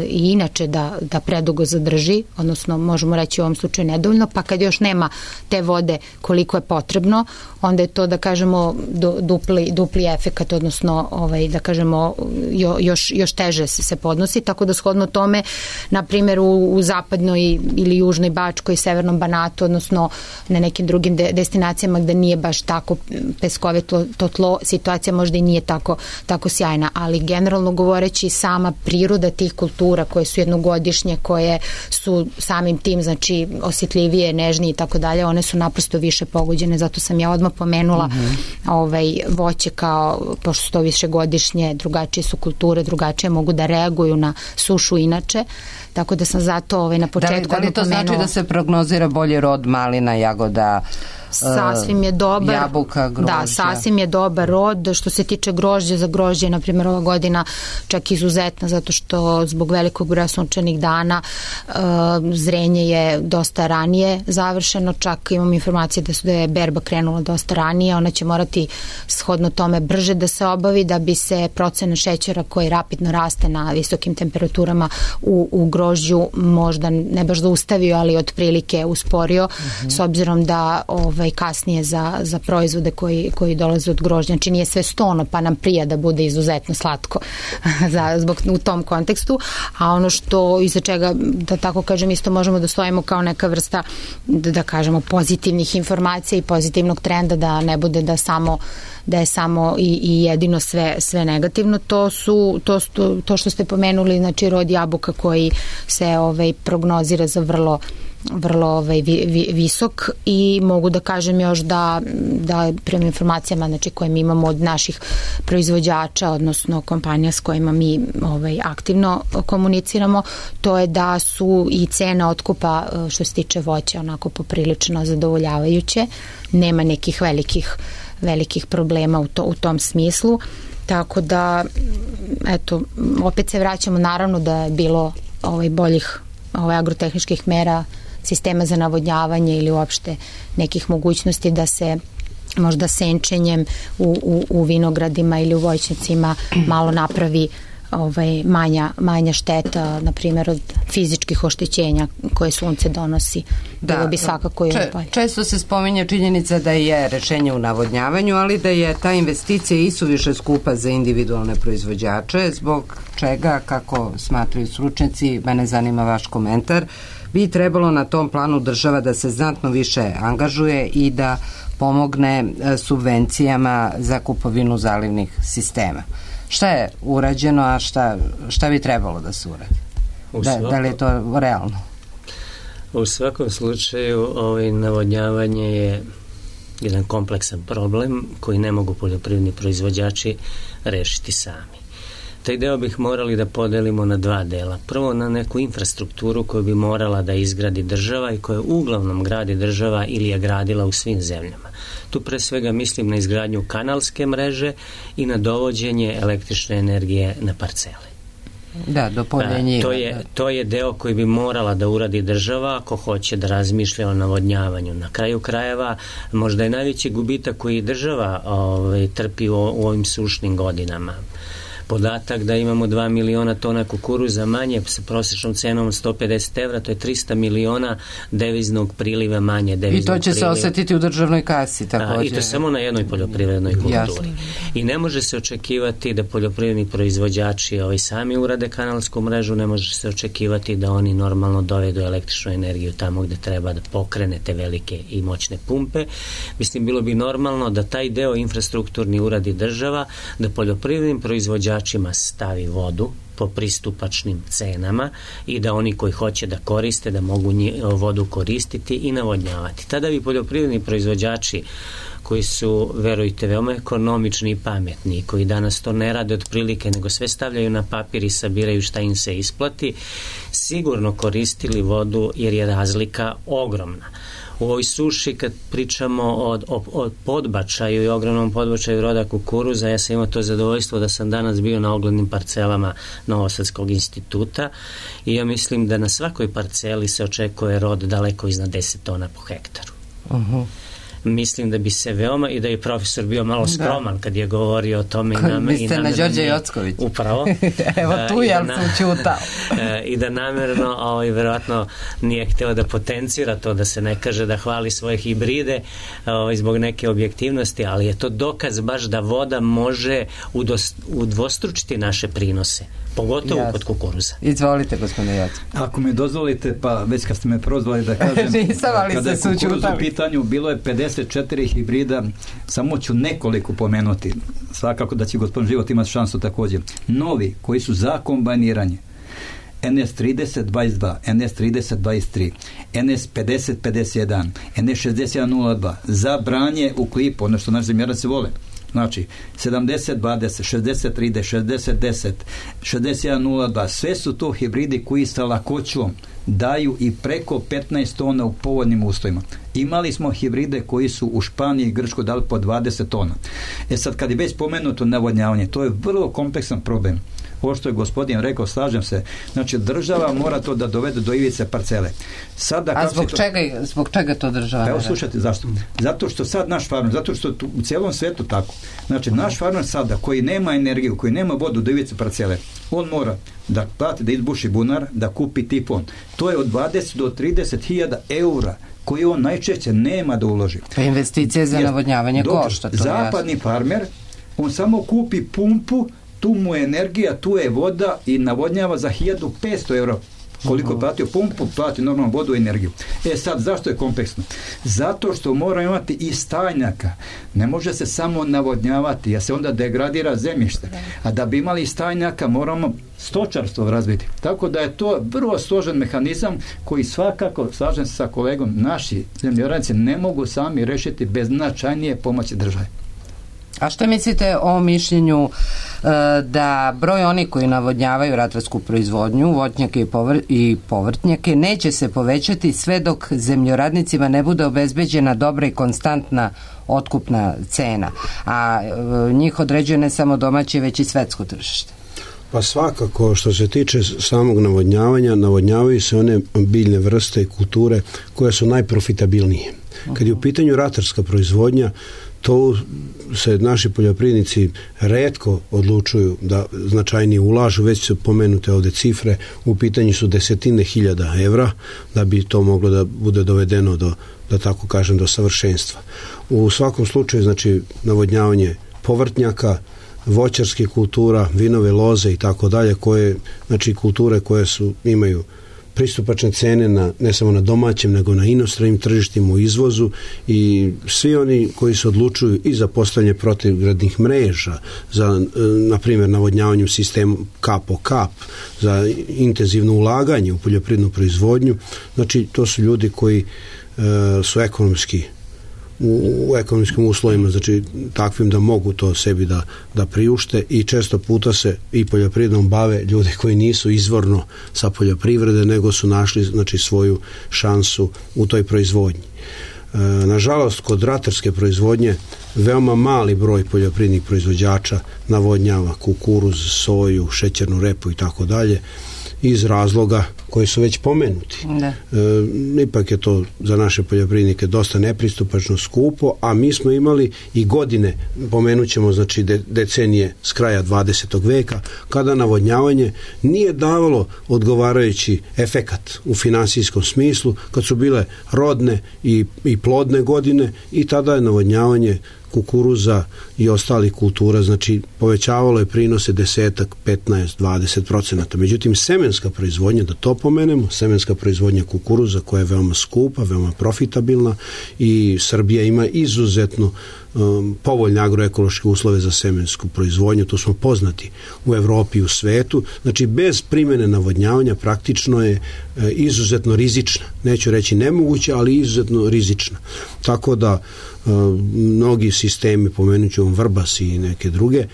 i inače da, da predugo zadrži, odnosno možemo reći u ovom slučaju nedovoljno, pa kad još nema te vode koliko je potrebno, onda je to da kažemo dupli, dupli efekat, odnosno ovaj, da kažemo jo, još, još teže se podnosi, tako da shodno tome, na primjer u, u zapadnoj ili južnoj Bačkoj, severnom Banatu, odnosno na nekim drugim de, destinacijama gde nije baš tako peskovito to tlo, situacija možda i nije tako, tako sjajna, ali generalno govoreći sama priroda tih kultura koje su jednogodišnje, koje su samim tim znači osjetljivije, nežnije i tako dalje, one su naprosto više pogođene, zato sam ja odmah pomenula mm-hmm. ovaj, voće kao, pošto su to višegodišnje, drugačije su kulture, kulture drugačije mogu da reaguju na sušu inače, tako da sam zato ovaj, na početku... Da li, da li to pomenuo, znači da se prognozira bolji rod malina, jagoda, sasvim je dobar, jabuka, grožđa? Da, sasvim je dobar rod. Što se tiče grožđa, za grožđe, na primjer, ova godina čak izuzetna, zato što zbog velikog broja sunčanih dana uh, zrenje je dosta ranije završeno, čak imam informacije da, su, da je berba krenula dosta ranije, ona će morati shodno tome brže da se obavi da bi se procena šećera koji rapidno raste na visokim temperaturama u, u grožđu možda ne baš zaustavio, ali otprilike usporio, mm-hmm. s obzirom da ovaj, kasnije za, za proizvode koji, koji dolaze od grožđa. Znači nije sve stono, pa nam prija da bude izuzetno slatko za, zbog, u tom kontekstu, a ono što iza čega, da tako kažem, isto možemo da stojimo kao neka vrsta, da, da kažemo, pozitivnih informacija i pozitivnog trenda, da ne bude da samo da je samo i, i jedino sve, sve negativno, to su to, to, to što ste pomenuli, znači rod jabuka koji se ovaj, prognozira za vrlo vrlo ovaj, vi, vi, visok i mogu da kažem još da, da prema informacijama znači, koje mi imamo od naših proizvođača, odnosno kompanija s kojima mi ovaj, aktivno komuniciramo, to je da su i cene otkupa što se tiče voća onako poprilično zadovoljavajuće, nema nekih velikih velikih problema u, to, u tom smislu, tako da eto, opet se vraćamo naravno da je bilo ovaj, boljih ovaj, agrotehničkih mera, sistema za navodnjavanje ili uopšte nekih mogućnosti da se možda senčenjem u, u, u vinogradima ili u voćnjacima malo napravi ovaj, manja, manja šteta, na primjer od fizičkih oštećenja koje sunce donosi. Da, bilo bi svakako i če, često se spominje činjenica da je rešenje u navodnjavanju, ali da je ta investicija isuviše skupa za individualne proizvođače, zbog čega, kako smatraju stručnjaci, mene zanima vaš komentar, bi trebalo na tom planu država da se znatno više angažuje i da pomogne subvencijama za kupovinu zalivnih sistema. Šta je urađeno, a šta, šta bi trebalo da se uradi? Da, svakom, da li je to realno? U svakom slučaju ovaj, navodnjavanje je jedan kompleksan problem koji ne mogu poljoprivredni proizvođači rešiti sami. Taj deo bih morali da podelimo na dva dela. Prvo na neku infrastrukturu koju bi morala da izgradi država i koju uglavnom gradi država ili je gradila u svim zemljama. Tu pre svega mislim na izgradnju kanalske mreže i na dovođenje električne energije na parcele. Da, do poljenjiva. To je, to je deo koji bi morala da uradi država ako hoće da razmišlja o navodnjavanju. Na kraju krajeva možda je najveći gubitak koji država ovaj, trpi u, u ovim sušnim godinama. Podatak da imamo dva miliona tona kukuruza manje sa prosječnom cenom od sto pedeset evra, to je trista miliona deviznog priliva manje. I to će priliva. Se osetiti u državnoj kasi također. I to samo na jednoj poljoprivrednoj kulturi. Jasno. I ne može se očekivati da poljoprivredni proizvođači ovaj, sami urade kanalsku mrežu, ne može se očekivati da oni normalno dovedu električnu energiju tamo gde treba da pokrene te velike i moćne pumpe. Mislim, bilo bi normalno da taj deo infrastrukturni uradi država, da poljoprivrednim proizvođačima stavi vodu po pristupačnim cenama i da oni koji hoće da koriste, da mogu vodu koristiti i navodnjavati. Tada bi poljoprivredni proizvođači koji su, verujte, veoma ekonomični i pametni, koji danas to ne rade otprilike, nego sve stavljaju na papir i sabiraju šta im se isplati, sigurno koristili vodu jer je razlika ogromna. U ovoj suši kad pričamo o, o, o podbačaju i ogromnom podbačaju roda kukuruza, ja sam imao to zadovoljstvo da sam danas bio na oglednim parcelama Novosadskog instituta i ja mislim da na svakoj parceli se očekuje rod daleko iznad deset tona po hektaru. Uh-huh. Mislim da bi se veoma, i da je profesor bio malo skroman da. Kad je govorio o tome. Kad mislite na Đorđe Jocković. Upravo. Evo tu je, ali sam čutao. I da namerno, ovaj, verovatno nije hteo da potencira to, da se ne kaže da hvali svoje hibride ovaj, zbog neke objektivnosti, ali je to dokaz baš da voda može udos, udvostručiti naše prinose. Pogotovo Jasne. Kod kukuruza. Izvolite, gospodine Jacko. Ako mi dozvolite, pa već kad ste me prozvali da kažem, Nisam, ali kada je kukuruz u pitanju, bilo je pedeset četiri hibrida, samo ću nekoliko pomenuti. Svakako da će gospodin Život imati šansu također. Novi, koji su za kombajniranje. en es trideset dvadeset dva, en es trideset dvadeset tri, en es pedeset pedeset jedan, en es šezdeset jedan nula dva, za branje u klipu, ono što naši zemljarci vole. Znači, sedamdeset dvadeset, šezdeset trideset, šezdeset deset, šezdeset jedan nula dva, sve su to hibridi koji sa lakoćom daju i preko petnaest tona u povoljnim uslovima. Imali smo hibride koji su u Španiji i Grčkoj dali po dvadeset tona. E sad, kad je već spomenuto navodnjavanje, to je vrlo kompleksan problem. Ovo što je gospodin rekao, slažem se. Znači, država mora to da dovede do ivice parcele. Sada, A zbog, to... čega, zbog čega to država? Evo, slušajte, zašto? Zato što sad naš farmer, zato što tu, u cijelom svetu tako. Znači, naš farmer sada, koji nema energiju, koji nema vodu do ivice parcele, on mora da plati, da izbuši bunar, da kupi tipon. To je od dvadeset do trideset hiljada eura koji on najčešće nema da uloži. Pa investicije za navodnjavanje košta. Zapadni farmer, on samo kupi pumpu, tu mu je energija, tu je voda i navodnjava za hiljadu petsto eura. Koliko je platio pumpu, plati normalno vodu i energiju. E sad, zašto je kompleksno? Zato što mora imati i stajnjaka. Ne može se samo navodnjavati, jer se onda degradira zemljište. A da bi imali stajnjaka, moramo stočarstvo razviti. Tako da je to vrlo složen mehanizam koji svakako, slažem se sa kolegom, naši zemljoradnici ne mogu sami rešiti bez značajnije pomoći države. A što mislite o mišljenju e, da broj oni koji navodnjavaju ratarsku proizvodnju, voćnjake i, povr i povrtnjake, neće se povećati sve dok zemljoradnicima ne bude obezbeđena dobra i konstantna otkupna cena, a e, njih određuje ne samo domaće, već i svetsko tržište? Pa svakako, što se tiče samog navodnjavanja, navodnjavaju se one biljne vrste i kulture koje su najprofitabilnije. Kad je u pitanju ratarska proizvodnja, to se naši poljoprivrednici retko odlučuju da značajnije ulažu, već su pomenute ovde cifre, u pitanju su desetine hiljada evra da bi to moglo da bude dovedeno do, da tako kažem, do savršenstva. U svakom slučaju, znači, navodnjavanje povrtnjaka, voćarskih kultura, vinove loze i tako dalje, koje, znači kulture koje su, imaju pristupačne cene na, ne samo na domaćem, nego na inostranim tržištima u izvozu, i svi oni koji se odlučuju i za postavljanje protivgradnih mreža, za, na primjer, navodnjavanjem sistema kap po kap, za intenzivno ulaganje u poljoprivrednu proizvodnju, znači to su ljudi koji e, su ekonomski u, u ekonomskim uslovima, znači takvim da mogu to sebi da, da priušte, i često puta se i poljoprivrednom bave ljudi koji nisu izvorno sa poljoprivrede, nego su našli, znači, svoju šansu u toj proizvodnji. E, nažalost, kod ratarske proizvodnje veoma mali broj poljoprivrednih proizvođača navodnjava kukuruz, soju, šećernu repu i tako dalje, iz razloga koji su već pomenuti. E, ipak je to za naše poljoprivrednike dosta nepristupačno, skupo, a mi smo imali i godine, pomenut ćemo, znači de, decenije s kraja dvadesetog veka, kada navodnjavanje nije davalo odgovarajući efekat u finansijskom smislu, kad su bile rodne i, i plodne godine, i tada je navodnjavanje kukuruza i ostalih kultura, znači povećavalo je prinose desetak, petnaest, dvadeset procenata. Međutim, semenska proizvodnja, da to pomenemo, semenska proizvodnja kukuruza, koja je veoma skupa, veoma profitabilna, i Srbija ima izuzetno um, povoljne agroekološke uslove za semensku proizvodnju, tu smo poznati u Evropi i u svetu. Znači, bez primjene navodnjavanja praktično je e, izuzetno rizična, neću reći nemoguća, ali izuzetno rizična. Tako da e, mnogi sistemi, pomenut ću vam Vrbas i neke druge, e,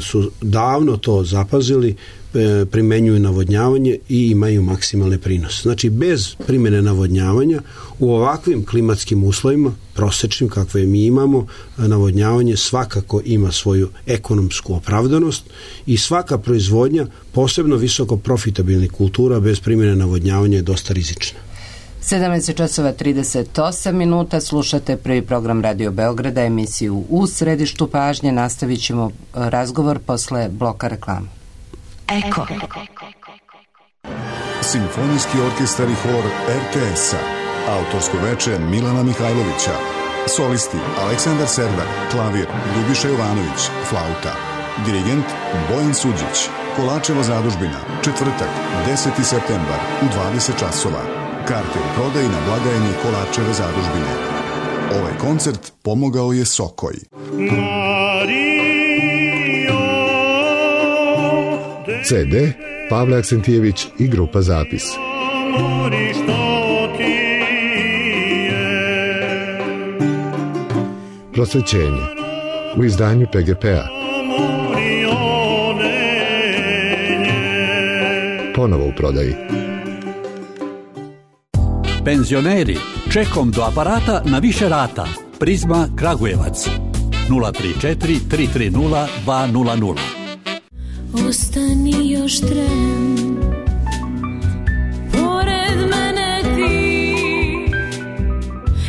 su davno to zapazili, e, primenjuju navodnjavanje i imaju maksimalne prinose. Znači, bez primjene navodnjavanja u ovakvim klimatskim uslovima, prosečnim kakve mi imamo, navodnjavanje svakako ima svoju ekonomsku opravdanost, i svaka proizvodnja, posebno visoko profitabilnih kultura, bez primjene navodnjavanja je dosta rizična. sedamnaest časova trideset osam minuta, slušate prvi program Radio Beograda, emisiju U središtu pažnje. Nastavit ćemo razgovor posle bloka reklama. Eko. Simfonijski orkestar i hor er te es-a. Autorsko veče Milana Mihajlovića. Solisti Aleksandar Servar, klavir Ljubiša Jovanović, flauta. Dirigent Bojan Suđić. Kolačeva zadužbina, četvrtak, deseti septembar u dvadeset časova. Karte u prodaji na blagajni Kolačeve zadužbine. Ovaj koncert pomogao je Sokoj. ce de Pavle Aksentijević i grupa Zapis. Prosvećenje. u izdanju P G P-a. Ponovo u prodaji. Penzioneri, čekom do aparata na više rata. Prizma Kragujevac. nula tri četiri tri tri nula dva nula nula. Ostani još tren, pored mene ti,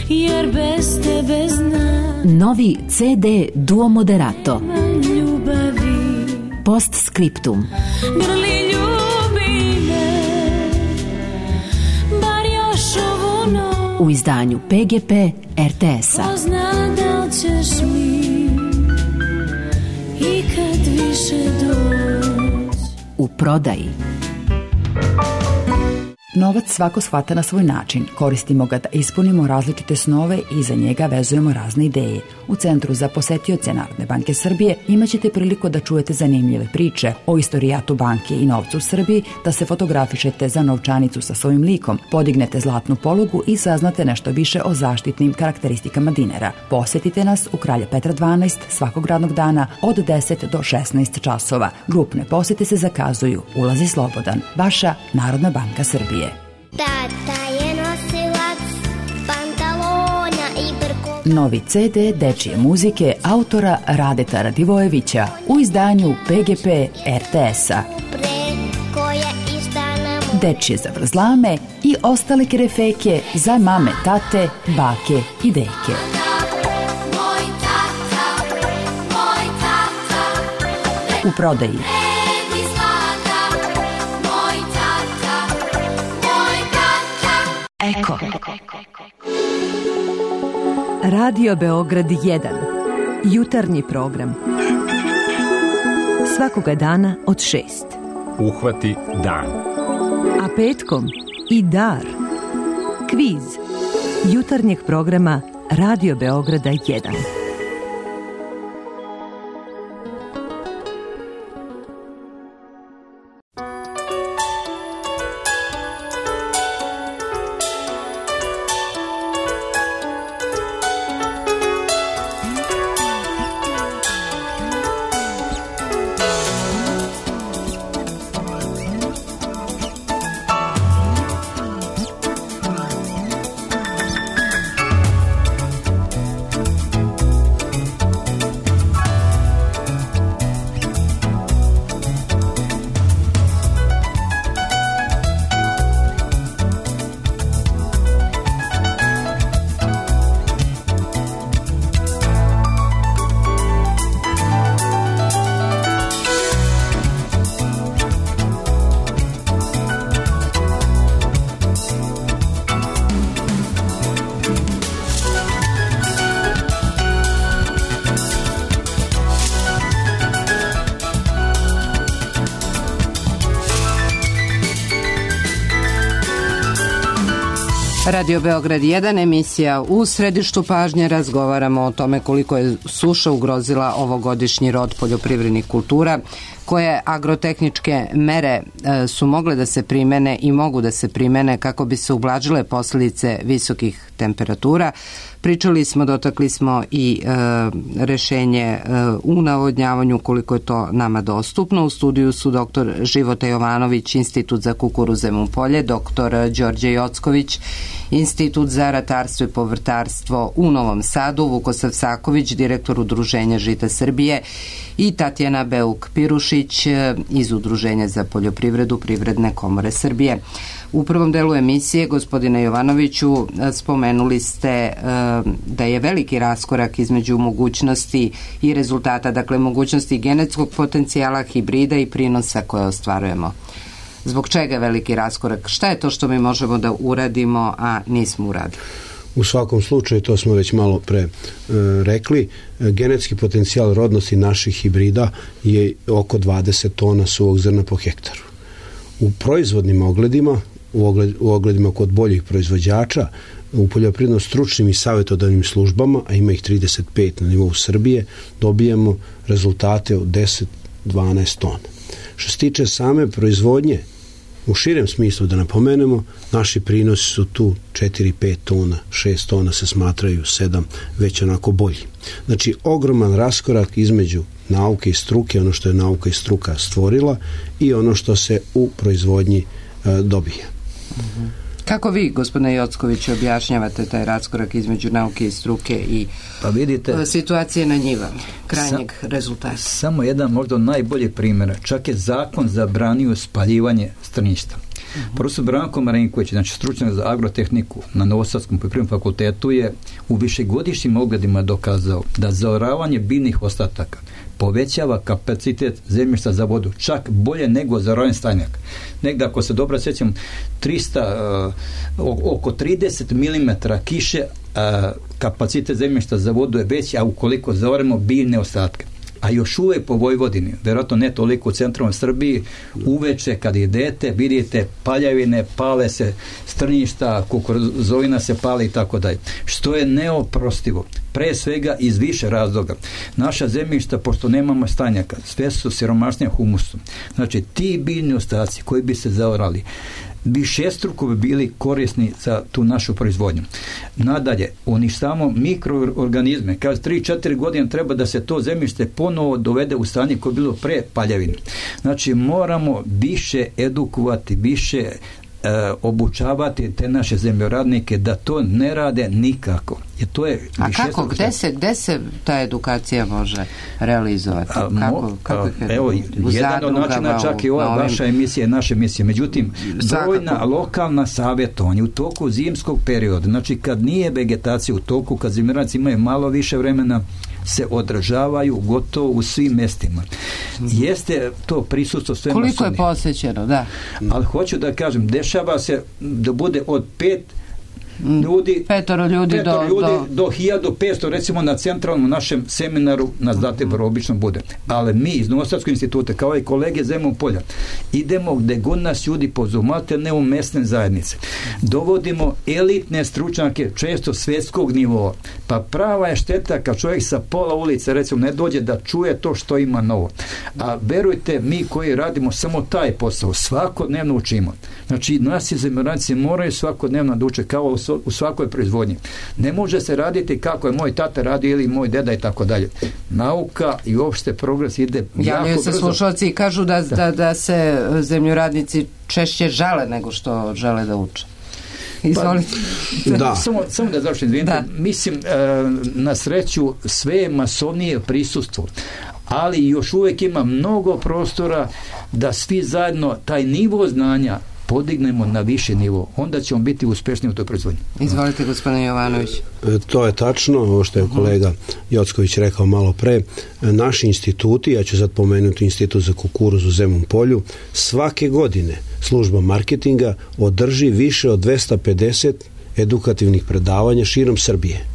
jer bez tebe znam. Novi C D Duo Moderato. Ljubavi. Postscriptum. Grli ljubi me, bar još ovu noć. U izdanju P G P R T S-a. Ko zna da li ćeš mi ikad više doći. U prodaji. Novac svako shvata na svoj način. Koristimo ga da ispunimo različite snove i za njega vezujemo razne ideje. U Centru za posetioce Narodne banke Srbije imaćete priliku da čujete zanimljive priče o istorijatu banke i novcu u Srbiji, da se fotografišete za novčanicu sa svojim likom, podignete zlatnu polugu i saznate nešto više o zaštitnim karakteristikama dinara. Posetite nas u Kralja Petra dvanaest svakog radnog dana od deset do šesnaest časova. Grupne posete se zakazuju. Ulaz je slobodan. Vaša Narodna banka Srbije. Tata je nosilac pantalona i brko. Novi C D dečije muzike autora Radeta Radivojevića u izdanju P G P R T S-a. Dečije zavrzlame i ostale kerefeke za mame, tate, bake i deke. U prodaji. Eko. Radio Beograd jedan. Jutarnji program. Svakoga dana od šest. Uhvati dan. A petkom i dar. Kviz. Jutarnjeg programa Radio Beograda jedan. Radio Beograd jedan, emisija U središtu pažnje. Razgovaramo o tome koliko je suša ugrozila ovogodišnji rod poljoprivrednih kultura, koje agrotehničke mere e, su mogle da se primene i mogu da se primene kako bi se ublažile posljedice visokih temperatura. Pričali smo, dotakli smo i e, rešenje e, u navodnjavanju koliko je to nama dostupno. U studiju su doktor Života Jovanović, Institut za kukuruz Zemun Polje, doktor Đorđe Jocković, Institut za ratarstvo i povrtarstvo u Novom Sadu, Vukosav Saković, direktor Udruženja Žita Srbije i Tatjana Beuk-Pirušić iz Udruženja za poljoprivredu Privredne komore Srbije. U prvom delu emisije, gospodine Jovanoviću, spomenuli ste da je veliki raskorak između mogućnosti i rezultata, dakle mogućnosti genetskog potencijala, hibrida i prinosa koje ostvarujemo. Zbog čega je veliki raskorak? Šta je to što mi možemo da uradimo, a nismo uradili? U svakom slučaju, to smo već malo pre e, rekli, genetski potencijal rodnosti naših hibrida je oko dvadeset tona suvog zrna po hektaru. U proizvodnim ogledima, u, ogled, u ogledima kod boljih proizvođača, u poljoprivredno stručnim i savjetodavnim službama, a ima ih trideset pet na nivou Srbije, dobijamo rezultate od deset do dvanaest tona. Što se tiče same proizvodnje U širem smislu da napomenemo, naši prinosi su tu četiri pet tona, šest tona se smatraju, sedam već onako bolji. Znači, ogroman raskorak između nauke i struke, ono što je nauka i struka stvorila i ono što se u proizvodnji e, dobija. Mhm. Kako vi, gospodine Jocković, objašnjavate taj raskorak između nauke i struke i pa vidite, situacije na njivama, krajnjeg sa, rezultata? Samo jedan možda najbolji primjer. Čak je zakon zabranio spaljivanje strništa. Uh-huh. Profesor Branko Marinković, znači stručnjak za agrotehniku na Novosadskom poljoprivrednom fakultetu, je u višegodišnjim ogledima dokazao da zaoravanje biljnih ostataka povećava kapacitet zemljišta za vodu, čak bolje nego zaoravanje stajnjaka. Negdje, ako se dobro sjećam, trista, uh, oko trideset milimetara kiše, uh, kapacitet zemljišta za vodu je veći, a ukoliko zaoremo biljne ostatke. A još uvijek po Vojvodini, vjerojatno ne toliko u centralnoj Srbiji, uveče kad idete, vidite paljavine, pale se strnjišta, kukuruzovina se pali i tako dalje. Što je neoprostivo. Pre svega iz više razloga. Naša zemljišta, pošto nemamo stajnjaka, sve su siromašnije humusom. Znači, ti biljni ostaci koji bi se zaorali, višestruko bi bili korisni za tu našu proizvodnju. Nadalje, uništavamo mikroorganizme. Kaže, tri četiri godine treba da se to zemljište ponovo dovede u stanje koje je bilo pre paljavine. Znači, moramo više edukovati, više E, obučavati te naše zemljoradnike da to ne rade nikako. Jer to je a kako, gde se, gde se ta edukacija može realizovati? A, mo, kako, kako a, evo, jedan od načina čak i ova ovim... vaša emisija, naša emisija. Međutim, brojna lokalna savjetovanja u toku zimskog perioda, znači kad nije vegetacija u toku, kad zemljoradnici imaju malo više vremena, se održavaju gotovo u svim mestima. Jeste to prisustvo sve koliko masovnije. Je posvećeno, da. Ali hoću da kažem, dešava se da bude od pet ljudi, petoro ljudi, petoro do, ljudi do... do hiljadu petsto, recimo na centralnom našem seminaru na Zlatiboru obično bude. Ali mi iz Novosadskog instituta, kao i kolege Zemun polja, idemo gde god nas ljudi pozumate, ne u mesne zajednice. Dovodimo elitne stručnjake, često svjetskog nivoa. Pa prava je šteta kad čovjek sa pola ulice, recimo, ne dođe da čuje to što ima novo. A verujte, mi koji radimo samo taj posao, svakodnevno učimo. Znači, nasi zemljoradnici moraju svakodnevno da uče kao u svakoj proizvodnji. Ne može se raditi kako je moj tata radio ili moj deda i tako dalje. Nauka i uopšte progres ide jako brzo. Javljaju se slušalci i kažu da, da, da se zemljoradnici češće žale nego što žele da uče. Izvolite. Pa, da. Samo, samo da završim, da. Mislim, na sreću sve je masovnije prisustvo, ali još uvijek ima mnogo prostora da svi zajedno taj nivo znanja podignemo na više nivo, onda ćemo biti uspješni u toj proizvodnji. Izvolite, gospodine Jovanović. E, to je tačno, ovo što je kolega Jocković rekao malo pre. Naši instituti, ja ću sad pomenuti Institut za kukuruz u Zemun polju, svake godine služba marketinga održi više od dvesta pedeset edukativnih predavanja širom Srbije.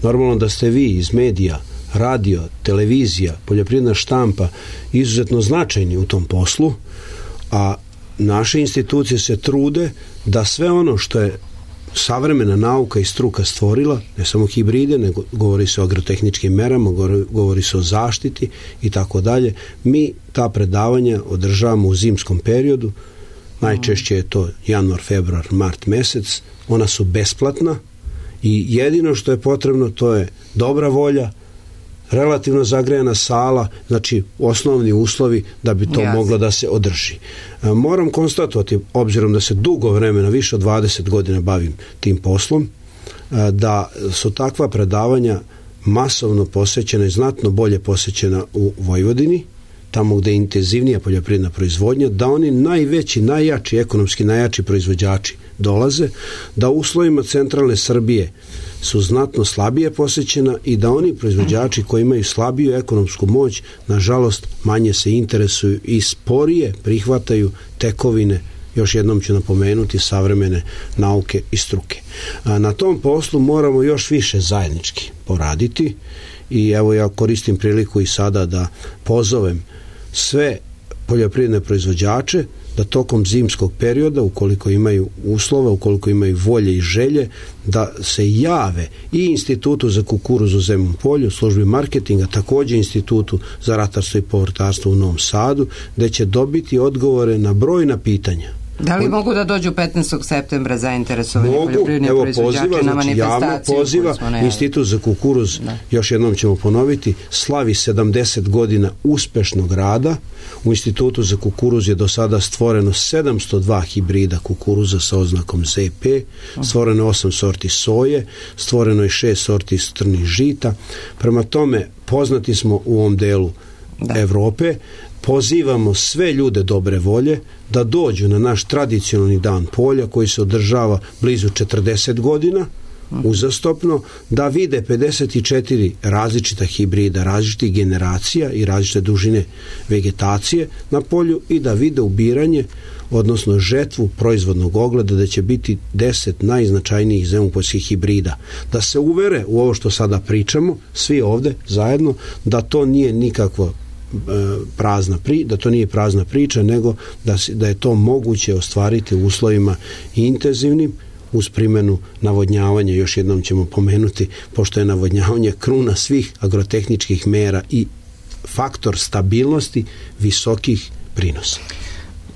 Normalno da ste vi iz medija, radio, televizija, poljoprivredna štampa izuzetno značajni u tom poslu, a naše institucije se trude da sve ono što je savremena nauka i struka stvorila, ne samo hibride, nego govori se o agrotehničkim merama, govori se o zaštiti i tako dalje, mi ta predavanja održavamo u zimskom periodu, najčešće je to januar, februar, mart mesec, ona su besplatna i jedino što je potrebno to je dobra volja, relativno zagrejana sala, znači osnovni uslovi da bi to Jasne. moglo da se održi. Moram konstatovati, obzirom da se dugo vremena, više od dvadeset godina bavim tim poslom, da su takva predavanja masovno posvećena i znatno bolje posvećena u Vojvodini, tamo gde je intenzivnija poljoprivredna proizvodnja, da oni najveći, najjači, ekonomski najjači proizvođači dolaze, da u uslovima centralne Srbije su znatno slabije posvećena i da oni proizvođači koji imaju slabiju ekonomsku moć, nažalost, manje se interesuju i sporije prihvataju tekovine, još jednom ću napomenuti, savremene nauke i struke. A na tom poslu moramo još više zajednički poraditi i evo ja koristim priliku i sada da pozovem sve poljoprivredne proizvođače da tokom zimskog perioda, ukoliko imaju uslova, ukoliko imaju volje i želje, da se jave i Institutu za kukuruz u Zemun polju, službi marketinga, također Institutu za ratarstvo i povrtarstvo u Novom Sadu, gde će dobiti odgovore na brojna pitanja. Da li On, mogu da dođu petnaestog septembra zainteresovani poljoprivredni proizvođači poziva, na znači, manifestaciju? Poziva, Institut za kukuruz, da. Još jednom ćemo ponoviti, slavi sedamdeset godina uspešnog rada. U Institutu za kukuruz je do sada stvoreno sedamsto dva hibrida kukuruza sa oznakom Z P, stvoreno je osam sorti soje, stvoreno je šest sorti strnih žita. Prema tome, poznati smo u ovom delu da. Evrope. Pozivamo sve ljude dobre volje da dođu na naš tradicionalni dan polja koji se održava blizu četrdeset godina uzastopno, da vide pedeset četiri različita hibrida, različitih generacija i različite dužine vegetacije na polju i da vide ubiranje, odnosno žetvu proizvodnog ogleda, da će biti deset najznačajnijih zemupoljskih hibrida. Da se uvere u ovo što sada pričamo, svi ovde zajedno, da to nije nikakvo prazna pri, da to nije prazna priča, nego da, da je to moguće ostvariti u uslovima intenzivnim uz primjenu navodnjavanja. Još jednom ćemo pomenuti, pošto je navodnjavanje kruna svih agrotehničkih mera i faktor stabilnosti visokih prinosa.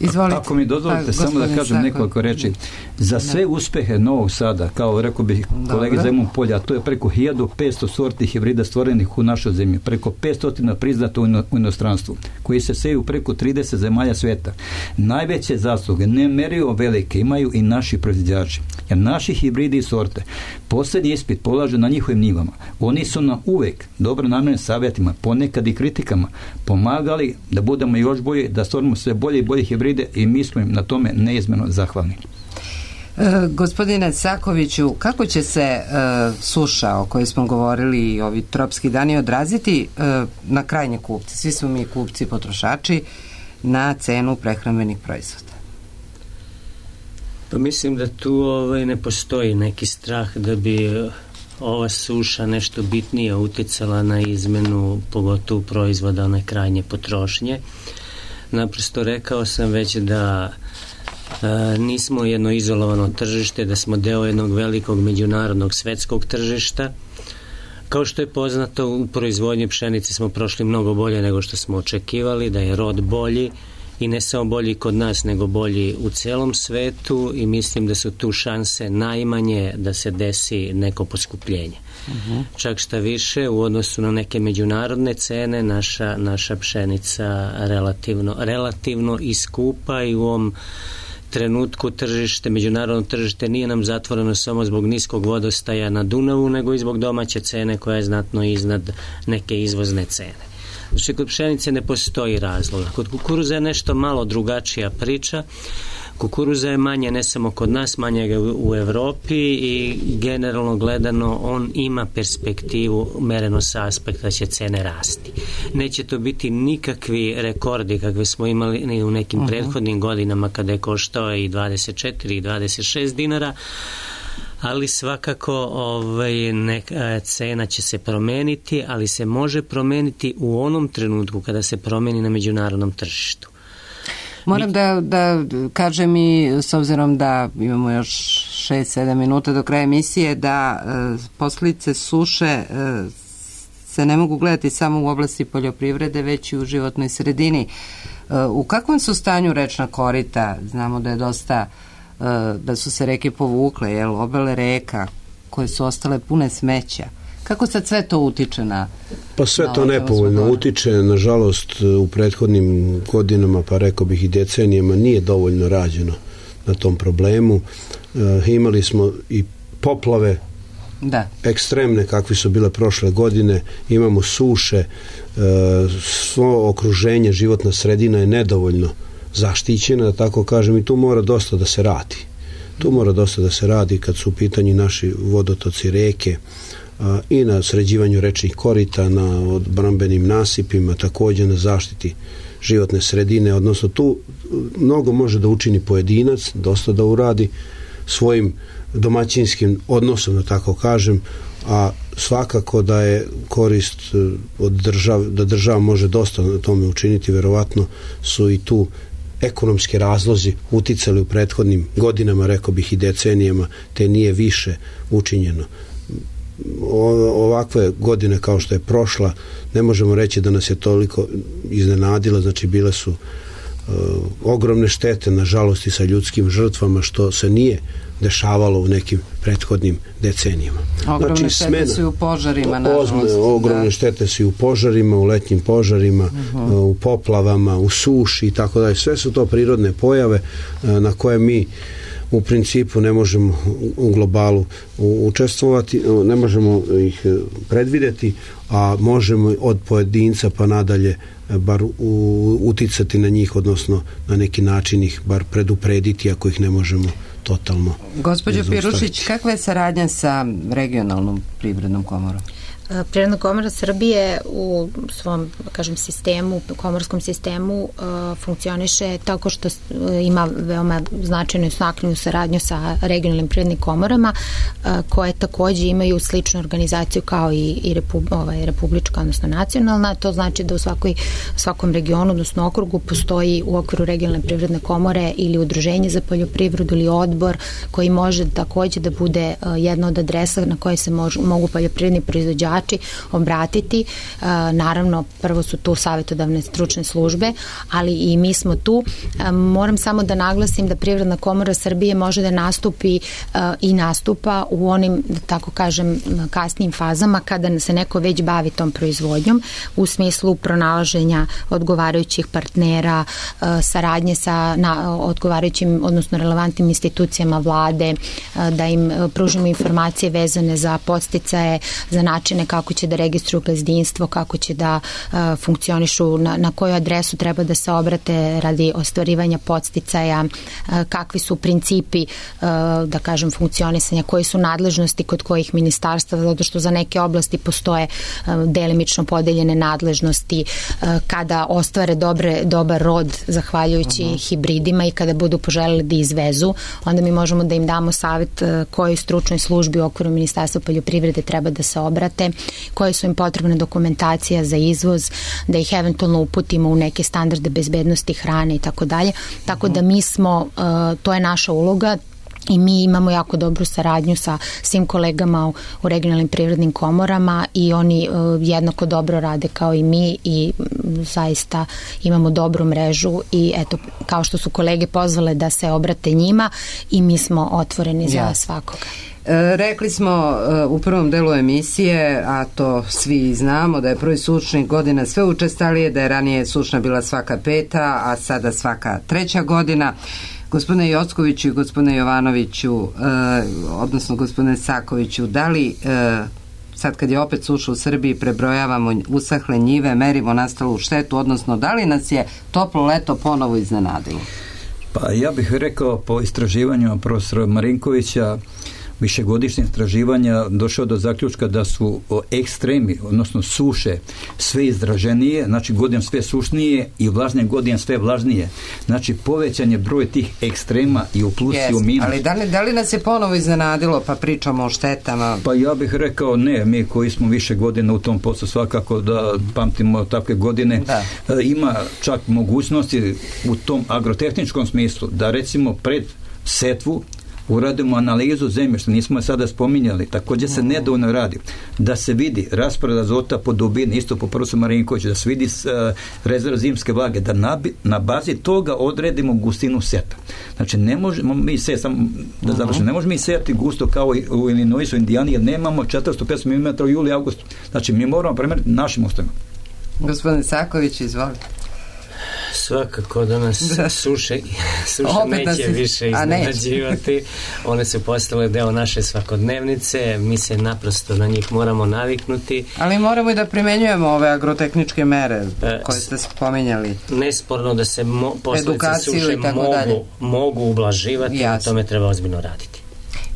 Izvolite. Ako mi dozvolite, samo da kažem nekoliko reči. Za sve uspehe Novog Sada, kao rekao bih kolege Zemun polja, to je preko hiljadu petsto sorti hibrida stvorenih u našoj zemlji, preko petsto priznato u inostranstvu, koji se seju preko trideset zemalja sveta. Najveće zasluge, nemerivo velike, imaju i naši proizvođači. Jer naši hibridi i sorte, posljednji ispit polažu na njihovim njivama. Oni su nam uvek dobronamjernim savjetima, ponekad i kritikama, pomagali da budemo još bolji, da stvorimo sve bolje i bolje hibride i mi smo im na tome neizmjerno zahvalni. E, gospodine Sakoviću, kako će se e, suša o kojoj smo govorili i ovi tropski dani odraziti e, na krajnje kupce? Svi smo mi kupci, potrošači, na cenu prehrambenih proizvoda. Pa mislim da tu ovaj, ne postoji neki strah da bi ova suša nešto bitnije uticala na izmenu, pogotovo proizvoda one krajnje potrošnje. Naprosto rekao sam već da e, nismo jedno izolovano tržište, da smo deo jednog velikog međunarodnog svetskog tržišta. Kao što je poznato, u proizvodnji pšenice smo prošli mnogo bolje nego što smo očekivali, da je rod bolji i ne samo bolji kod nas, nego bolji u celom svetu i mislim da su tu šanse najmanje da se desi neko poskupljenje. Uh-huh. Čak šta više, u odnosu na neke međunarodne cene, naša, naša pšenica relativno, relativno iskupa i u ovom trenutku tržište, međunarodno tržište nije nam zatvoreno samo zbog niskog vodostaja na Dunavu, nego i zbog domaće cene koja je znatno iznad neke izvozne cene. Znači, kod pšenice ne postoji razloga. Kod kukuruza je nešto malo drugačija priča. Kukuruza je manje ne samo kod nas, manje ga u Evropi i generalno gledano on ima perspektivu mereno sa aspekta da će cene rasti. Neće to biti nikakvi rekordi kakve smo imali u nekim uh-huh. prethodnim godinama kada je koštao i dvadeset četiri i dvadeset šest dinara, ali svakako ovaj, neka cena će se promeniti, ali se može promeniti u onom trenutku kada se promeni na međunarodnom tržištu. Moram da, da kažem i s obzirom da imamo još šest sedam minuta do kraja emisije, da e, posljedice suše e, se ne mogu gledati samo u oblasti poljoprivrede, već i u životnoj sredini. E, u kakvom su stanju rečna korita? Znamo da je dosta e, da su se reke povukle, jel, obale reka koje su ostale pune smeća. Kako sad sve to utiče na... Pa sve to nepovoljno utiče, nažalost u prethodnim godinama, pa rekao bih i decenijama, nije dovoljno rađeno na tom problemu. E, imali smo i poplave da. ekstremne kakvi su bile prošle godine, imamo suše, e, svo okruženje, životna sredina je nedovoljno zaštićena, da tako kažem, i tu mora dosta da se radi. Tu mora dosta da se radi kad su u pitanju naši vodotoci, reke, i na sređivanju rečnih korita, na odbrambenim nasipima, također na zaštiti životne sredine, odnosno tu mnogo može da učini pojedinac, dosta da uradi svojim domaćinskim odnosom, da tako kažem, a svakako da je korist od države, da država može dosta na tome učiniti, verovatno su i tu ekonomski razlozi uticali u prethodnim godinama, rekao bih i decenijama, te nije više učinjeno. Ovakve godine kao što je prošla, ne možemo reći da nas je toliko iznenadila, znači bile su ogromne štete, nažalost i sa ljudskim žrtvama, što se nije dešavalo u nekim prethodnim decenijama. Ogromne znači, štete smena, su i u požarima, nažalost. Ogromne da. štete su i u požarima, u letnjim požarima, uh-huh. u poplavama, u suši i tako dalje. Sve su to prirodne pojave na koje mi u principu ne možemo u globalu učestvovati, ne možemo ih predvideti, a možemo od pojedinca pa nadalje bar uticati na njih, odnosno na neki način ih bar preduprediti ako ih ne možemo totalno. Gospođo Pirušić, kakva je saradnja sa regionalnom privrednom komorom? Privredna komora Srbije u svom, kažem, sistemu, komorskom sistemu uh, funkcioniše tako što ima veoma značajnu i snakljivu saradnju sa regionalnim privrednim komorama uh, koje takođe imaju sličnu organizaciju kao i, i repu, ovaj, republička, odnosno nacionalna. To znači da u svakoj, svakom regionu, odnosno okrugu, postoji u okviru regionalne privredne komore ili udruženje za poljoprivredu ili odbor koji može takođe da bude uh, jedna od adresa na koje se mož, mogu poljoprivredni proizvođači obratiti. E, naravno, prvo su tu savjetodavne stručne službe, ali i mi smo tu. E, moram samo da naglasim da Privredna komora Srbije može da nastupi e, i nastupa u onim, da tako kažem, kasnijim fazama kada se neko već bavi tom proizvodnjom u smislu pronalaženja odgovarajućih partnera, e, saradnje sa na, odgovarajućim, odnosno relevantnim institucijama vlade, e, da im pružimo informacije vezane za podsticaje, za načine kako će da registruju gazdinstvo, kako će da uh, funkcionišu, na, na koju adresu treba da se obrate radi ostvarivanja podsticaja, uh, kakvi su principi, uh, da kažem, funkcionisanja, koje su nadležnosti kod kojih ministarstva, zato što za neke oblasti postoje uh, delimično podeljene nadležnosti, uh, kada ostvare dobre, dobar rod zahvaljujući uh-huh. hibridima i kada budu poželeli da izvezu, onda mi možemo da im damo savjet uh, kojoj stručnoj službi u okviru Ministarstva poljoprivrede treba da se obrate, koje su im potrebne dokumentacija za izvoz, da ih eventualno uputimo u neke standarde bezbednosti hrane i tako dalje. Tako da mi smo, to je naša uloga i mi imamo jako dobru saradnju sa svim kolegama u, u regionalnim privrednim komorama i oni uh, jednako dobro rade kao i mi i um, zaista imamo dobru mrežu i eto, kao što su kolege pozvale da se obrate njima i mi smo otvoreni ja. za svakoga. E, rekli smo e, u prvom delu emisije, a to svi znamo, da je prvi sušnih godina sve učestalije, da je ranije sušna bila svaka peta, a sada svaka treća godina. Gospodine Jockoviću i gospodine Jovanoviću, e, odnosno gospodine Sakoviću, da li e, sad kad je opet suša u Srbiji prebrojavamo usahle njive, merimo nastalu štetu, odnosno da li nas je toplo leto ponovo iznenadilo? Pa ja bih rekao po istraživanju profesora Marinkovića, višegodišnje istraživanja došao do zaključka da su ekstremi, odnosno suše, sve izraženije, znači godin sve sušnije i vlažnije godin sve vlažnije. Znači povećan je broj tih ekstrema i u plus yes, i u minus. Ali da li, da li nas je ponovo iznenadilo, pa pričamo o štetama? Pa ja bih rekao ne, mi koji smo više godina u tom poslu svakako da pamtimo takve godine. Da. Ima čak mogućnosti u tom agrotehničkom smislu da recimo pred setvu uradimo analizu zemljišta, nismo je sada spominjali, također se nedovoljno radi, da se vidi raspored azota po dubini, isto po profesoru Marinkoviću, da se vidi uh, rezerv zimske vlage, da na, na bazi toga odredimo gustinu seta. Znači, ne možemo mi se, sam da završimo, ne možemo mi sejati gusto kao u Illinoisu, Indijani, jer nemamo četiristo do petsto milimetara u juli i augustu. Znači, mi moramo premjeriti našim ustojima. Gospodin Saković, izvolite. Svakako da nas da. suše, suše neće si, više iznenađivati. One su postale deo naše svakodnevnice, mi se naprosto na njih moramo naviknuti. Ali moramo i da primenjujemo ove agrotehničke mere koje ste spominjali. Nesporno da se mo, posljedice suše mogu, mogu ublaživati, na tome treba ozbiljno raditi.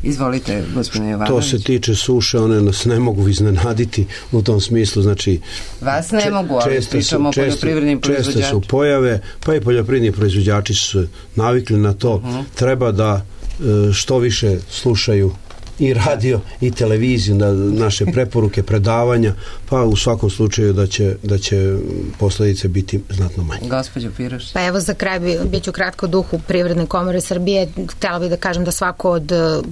Izvolite, gospodine Jovanović. To se tiče suše, one nas ne mogu iznenaditi u tom smislu, znači vas ne mogu, ali pričamo o poljoprivrednim proizvođačima. Česte su pojave, pa i poljoprivredni proizvođači su navikli na to. Uh-huh. Treba da što više slušaju i radio i televiziju, da naše preporuke, predavanja, pa u svakom slučaju da će, da će posledice biti znatno manje. Gospođo Piroš. Pa evo za kraj bi, bit ću kratko duhu Privredne komore Srbije. Htjela bih da kažem da svako od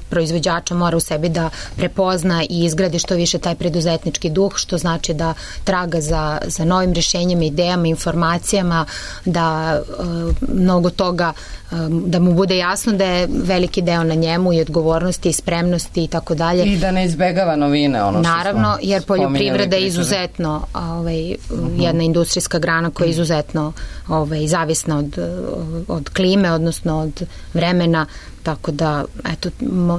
proizvođača mora u sebi da prepozna i izgradi što više taj preduzetnički duh, što znači da traga za, za novim rješenjima, idejama, informacijama, da e, mnogo toga, e, da mu bude jasno da je veliki deo na njemu i odgovornosti i spremnosti i tako dalje. I da ne izbegava novine, ono što naravno, smo jer poljoprivreda je pričali. izuzetno ovaj, uh-huh. jedna industrijska grana koja je izuzetno ovaj, zavisna od, od klime, odnosno od vremena, tako da eto,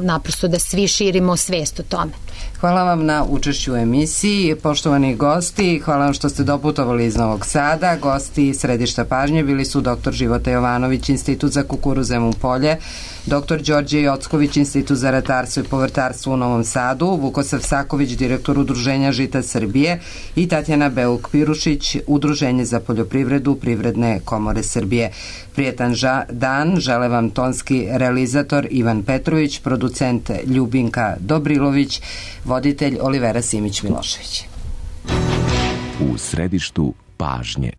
naprosto da svi širimo svijest o tome. Hvala vam na učešću u emisiji. Poštovani gosti, hvala vam što ste doputovali iz Novog Sada. Gosti središta pažnje bili su doktor Života Jovanović, Institut za kukuruz Zemun Polje, doktor Đorđe Jocković, Institut za ratarstvo i povrtarstvo u Novom Sadu, Vukosav Saković, direktor Udruženja Žita Srbije i Tatjana Beuk-Pirušić, Udruženje za poljoprivredu Privredne komore Srbije. Prijetan ža- dan žele vam tonski realizator Ivan Petrović, producent Ljubinka Dobrilović, voditelj Olivera Simić-Milošević. U središtu pažnje.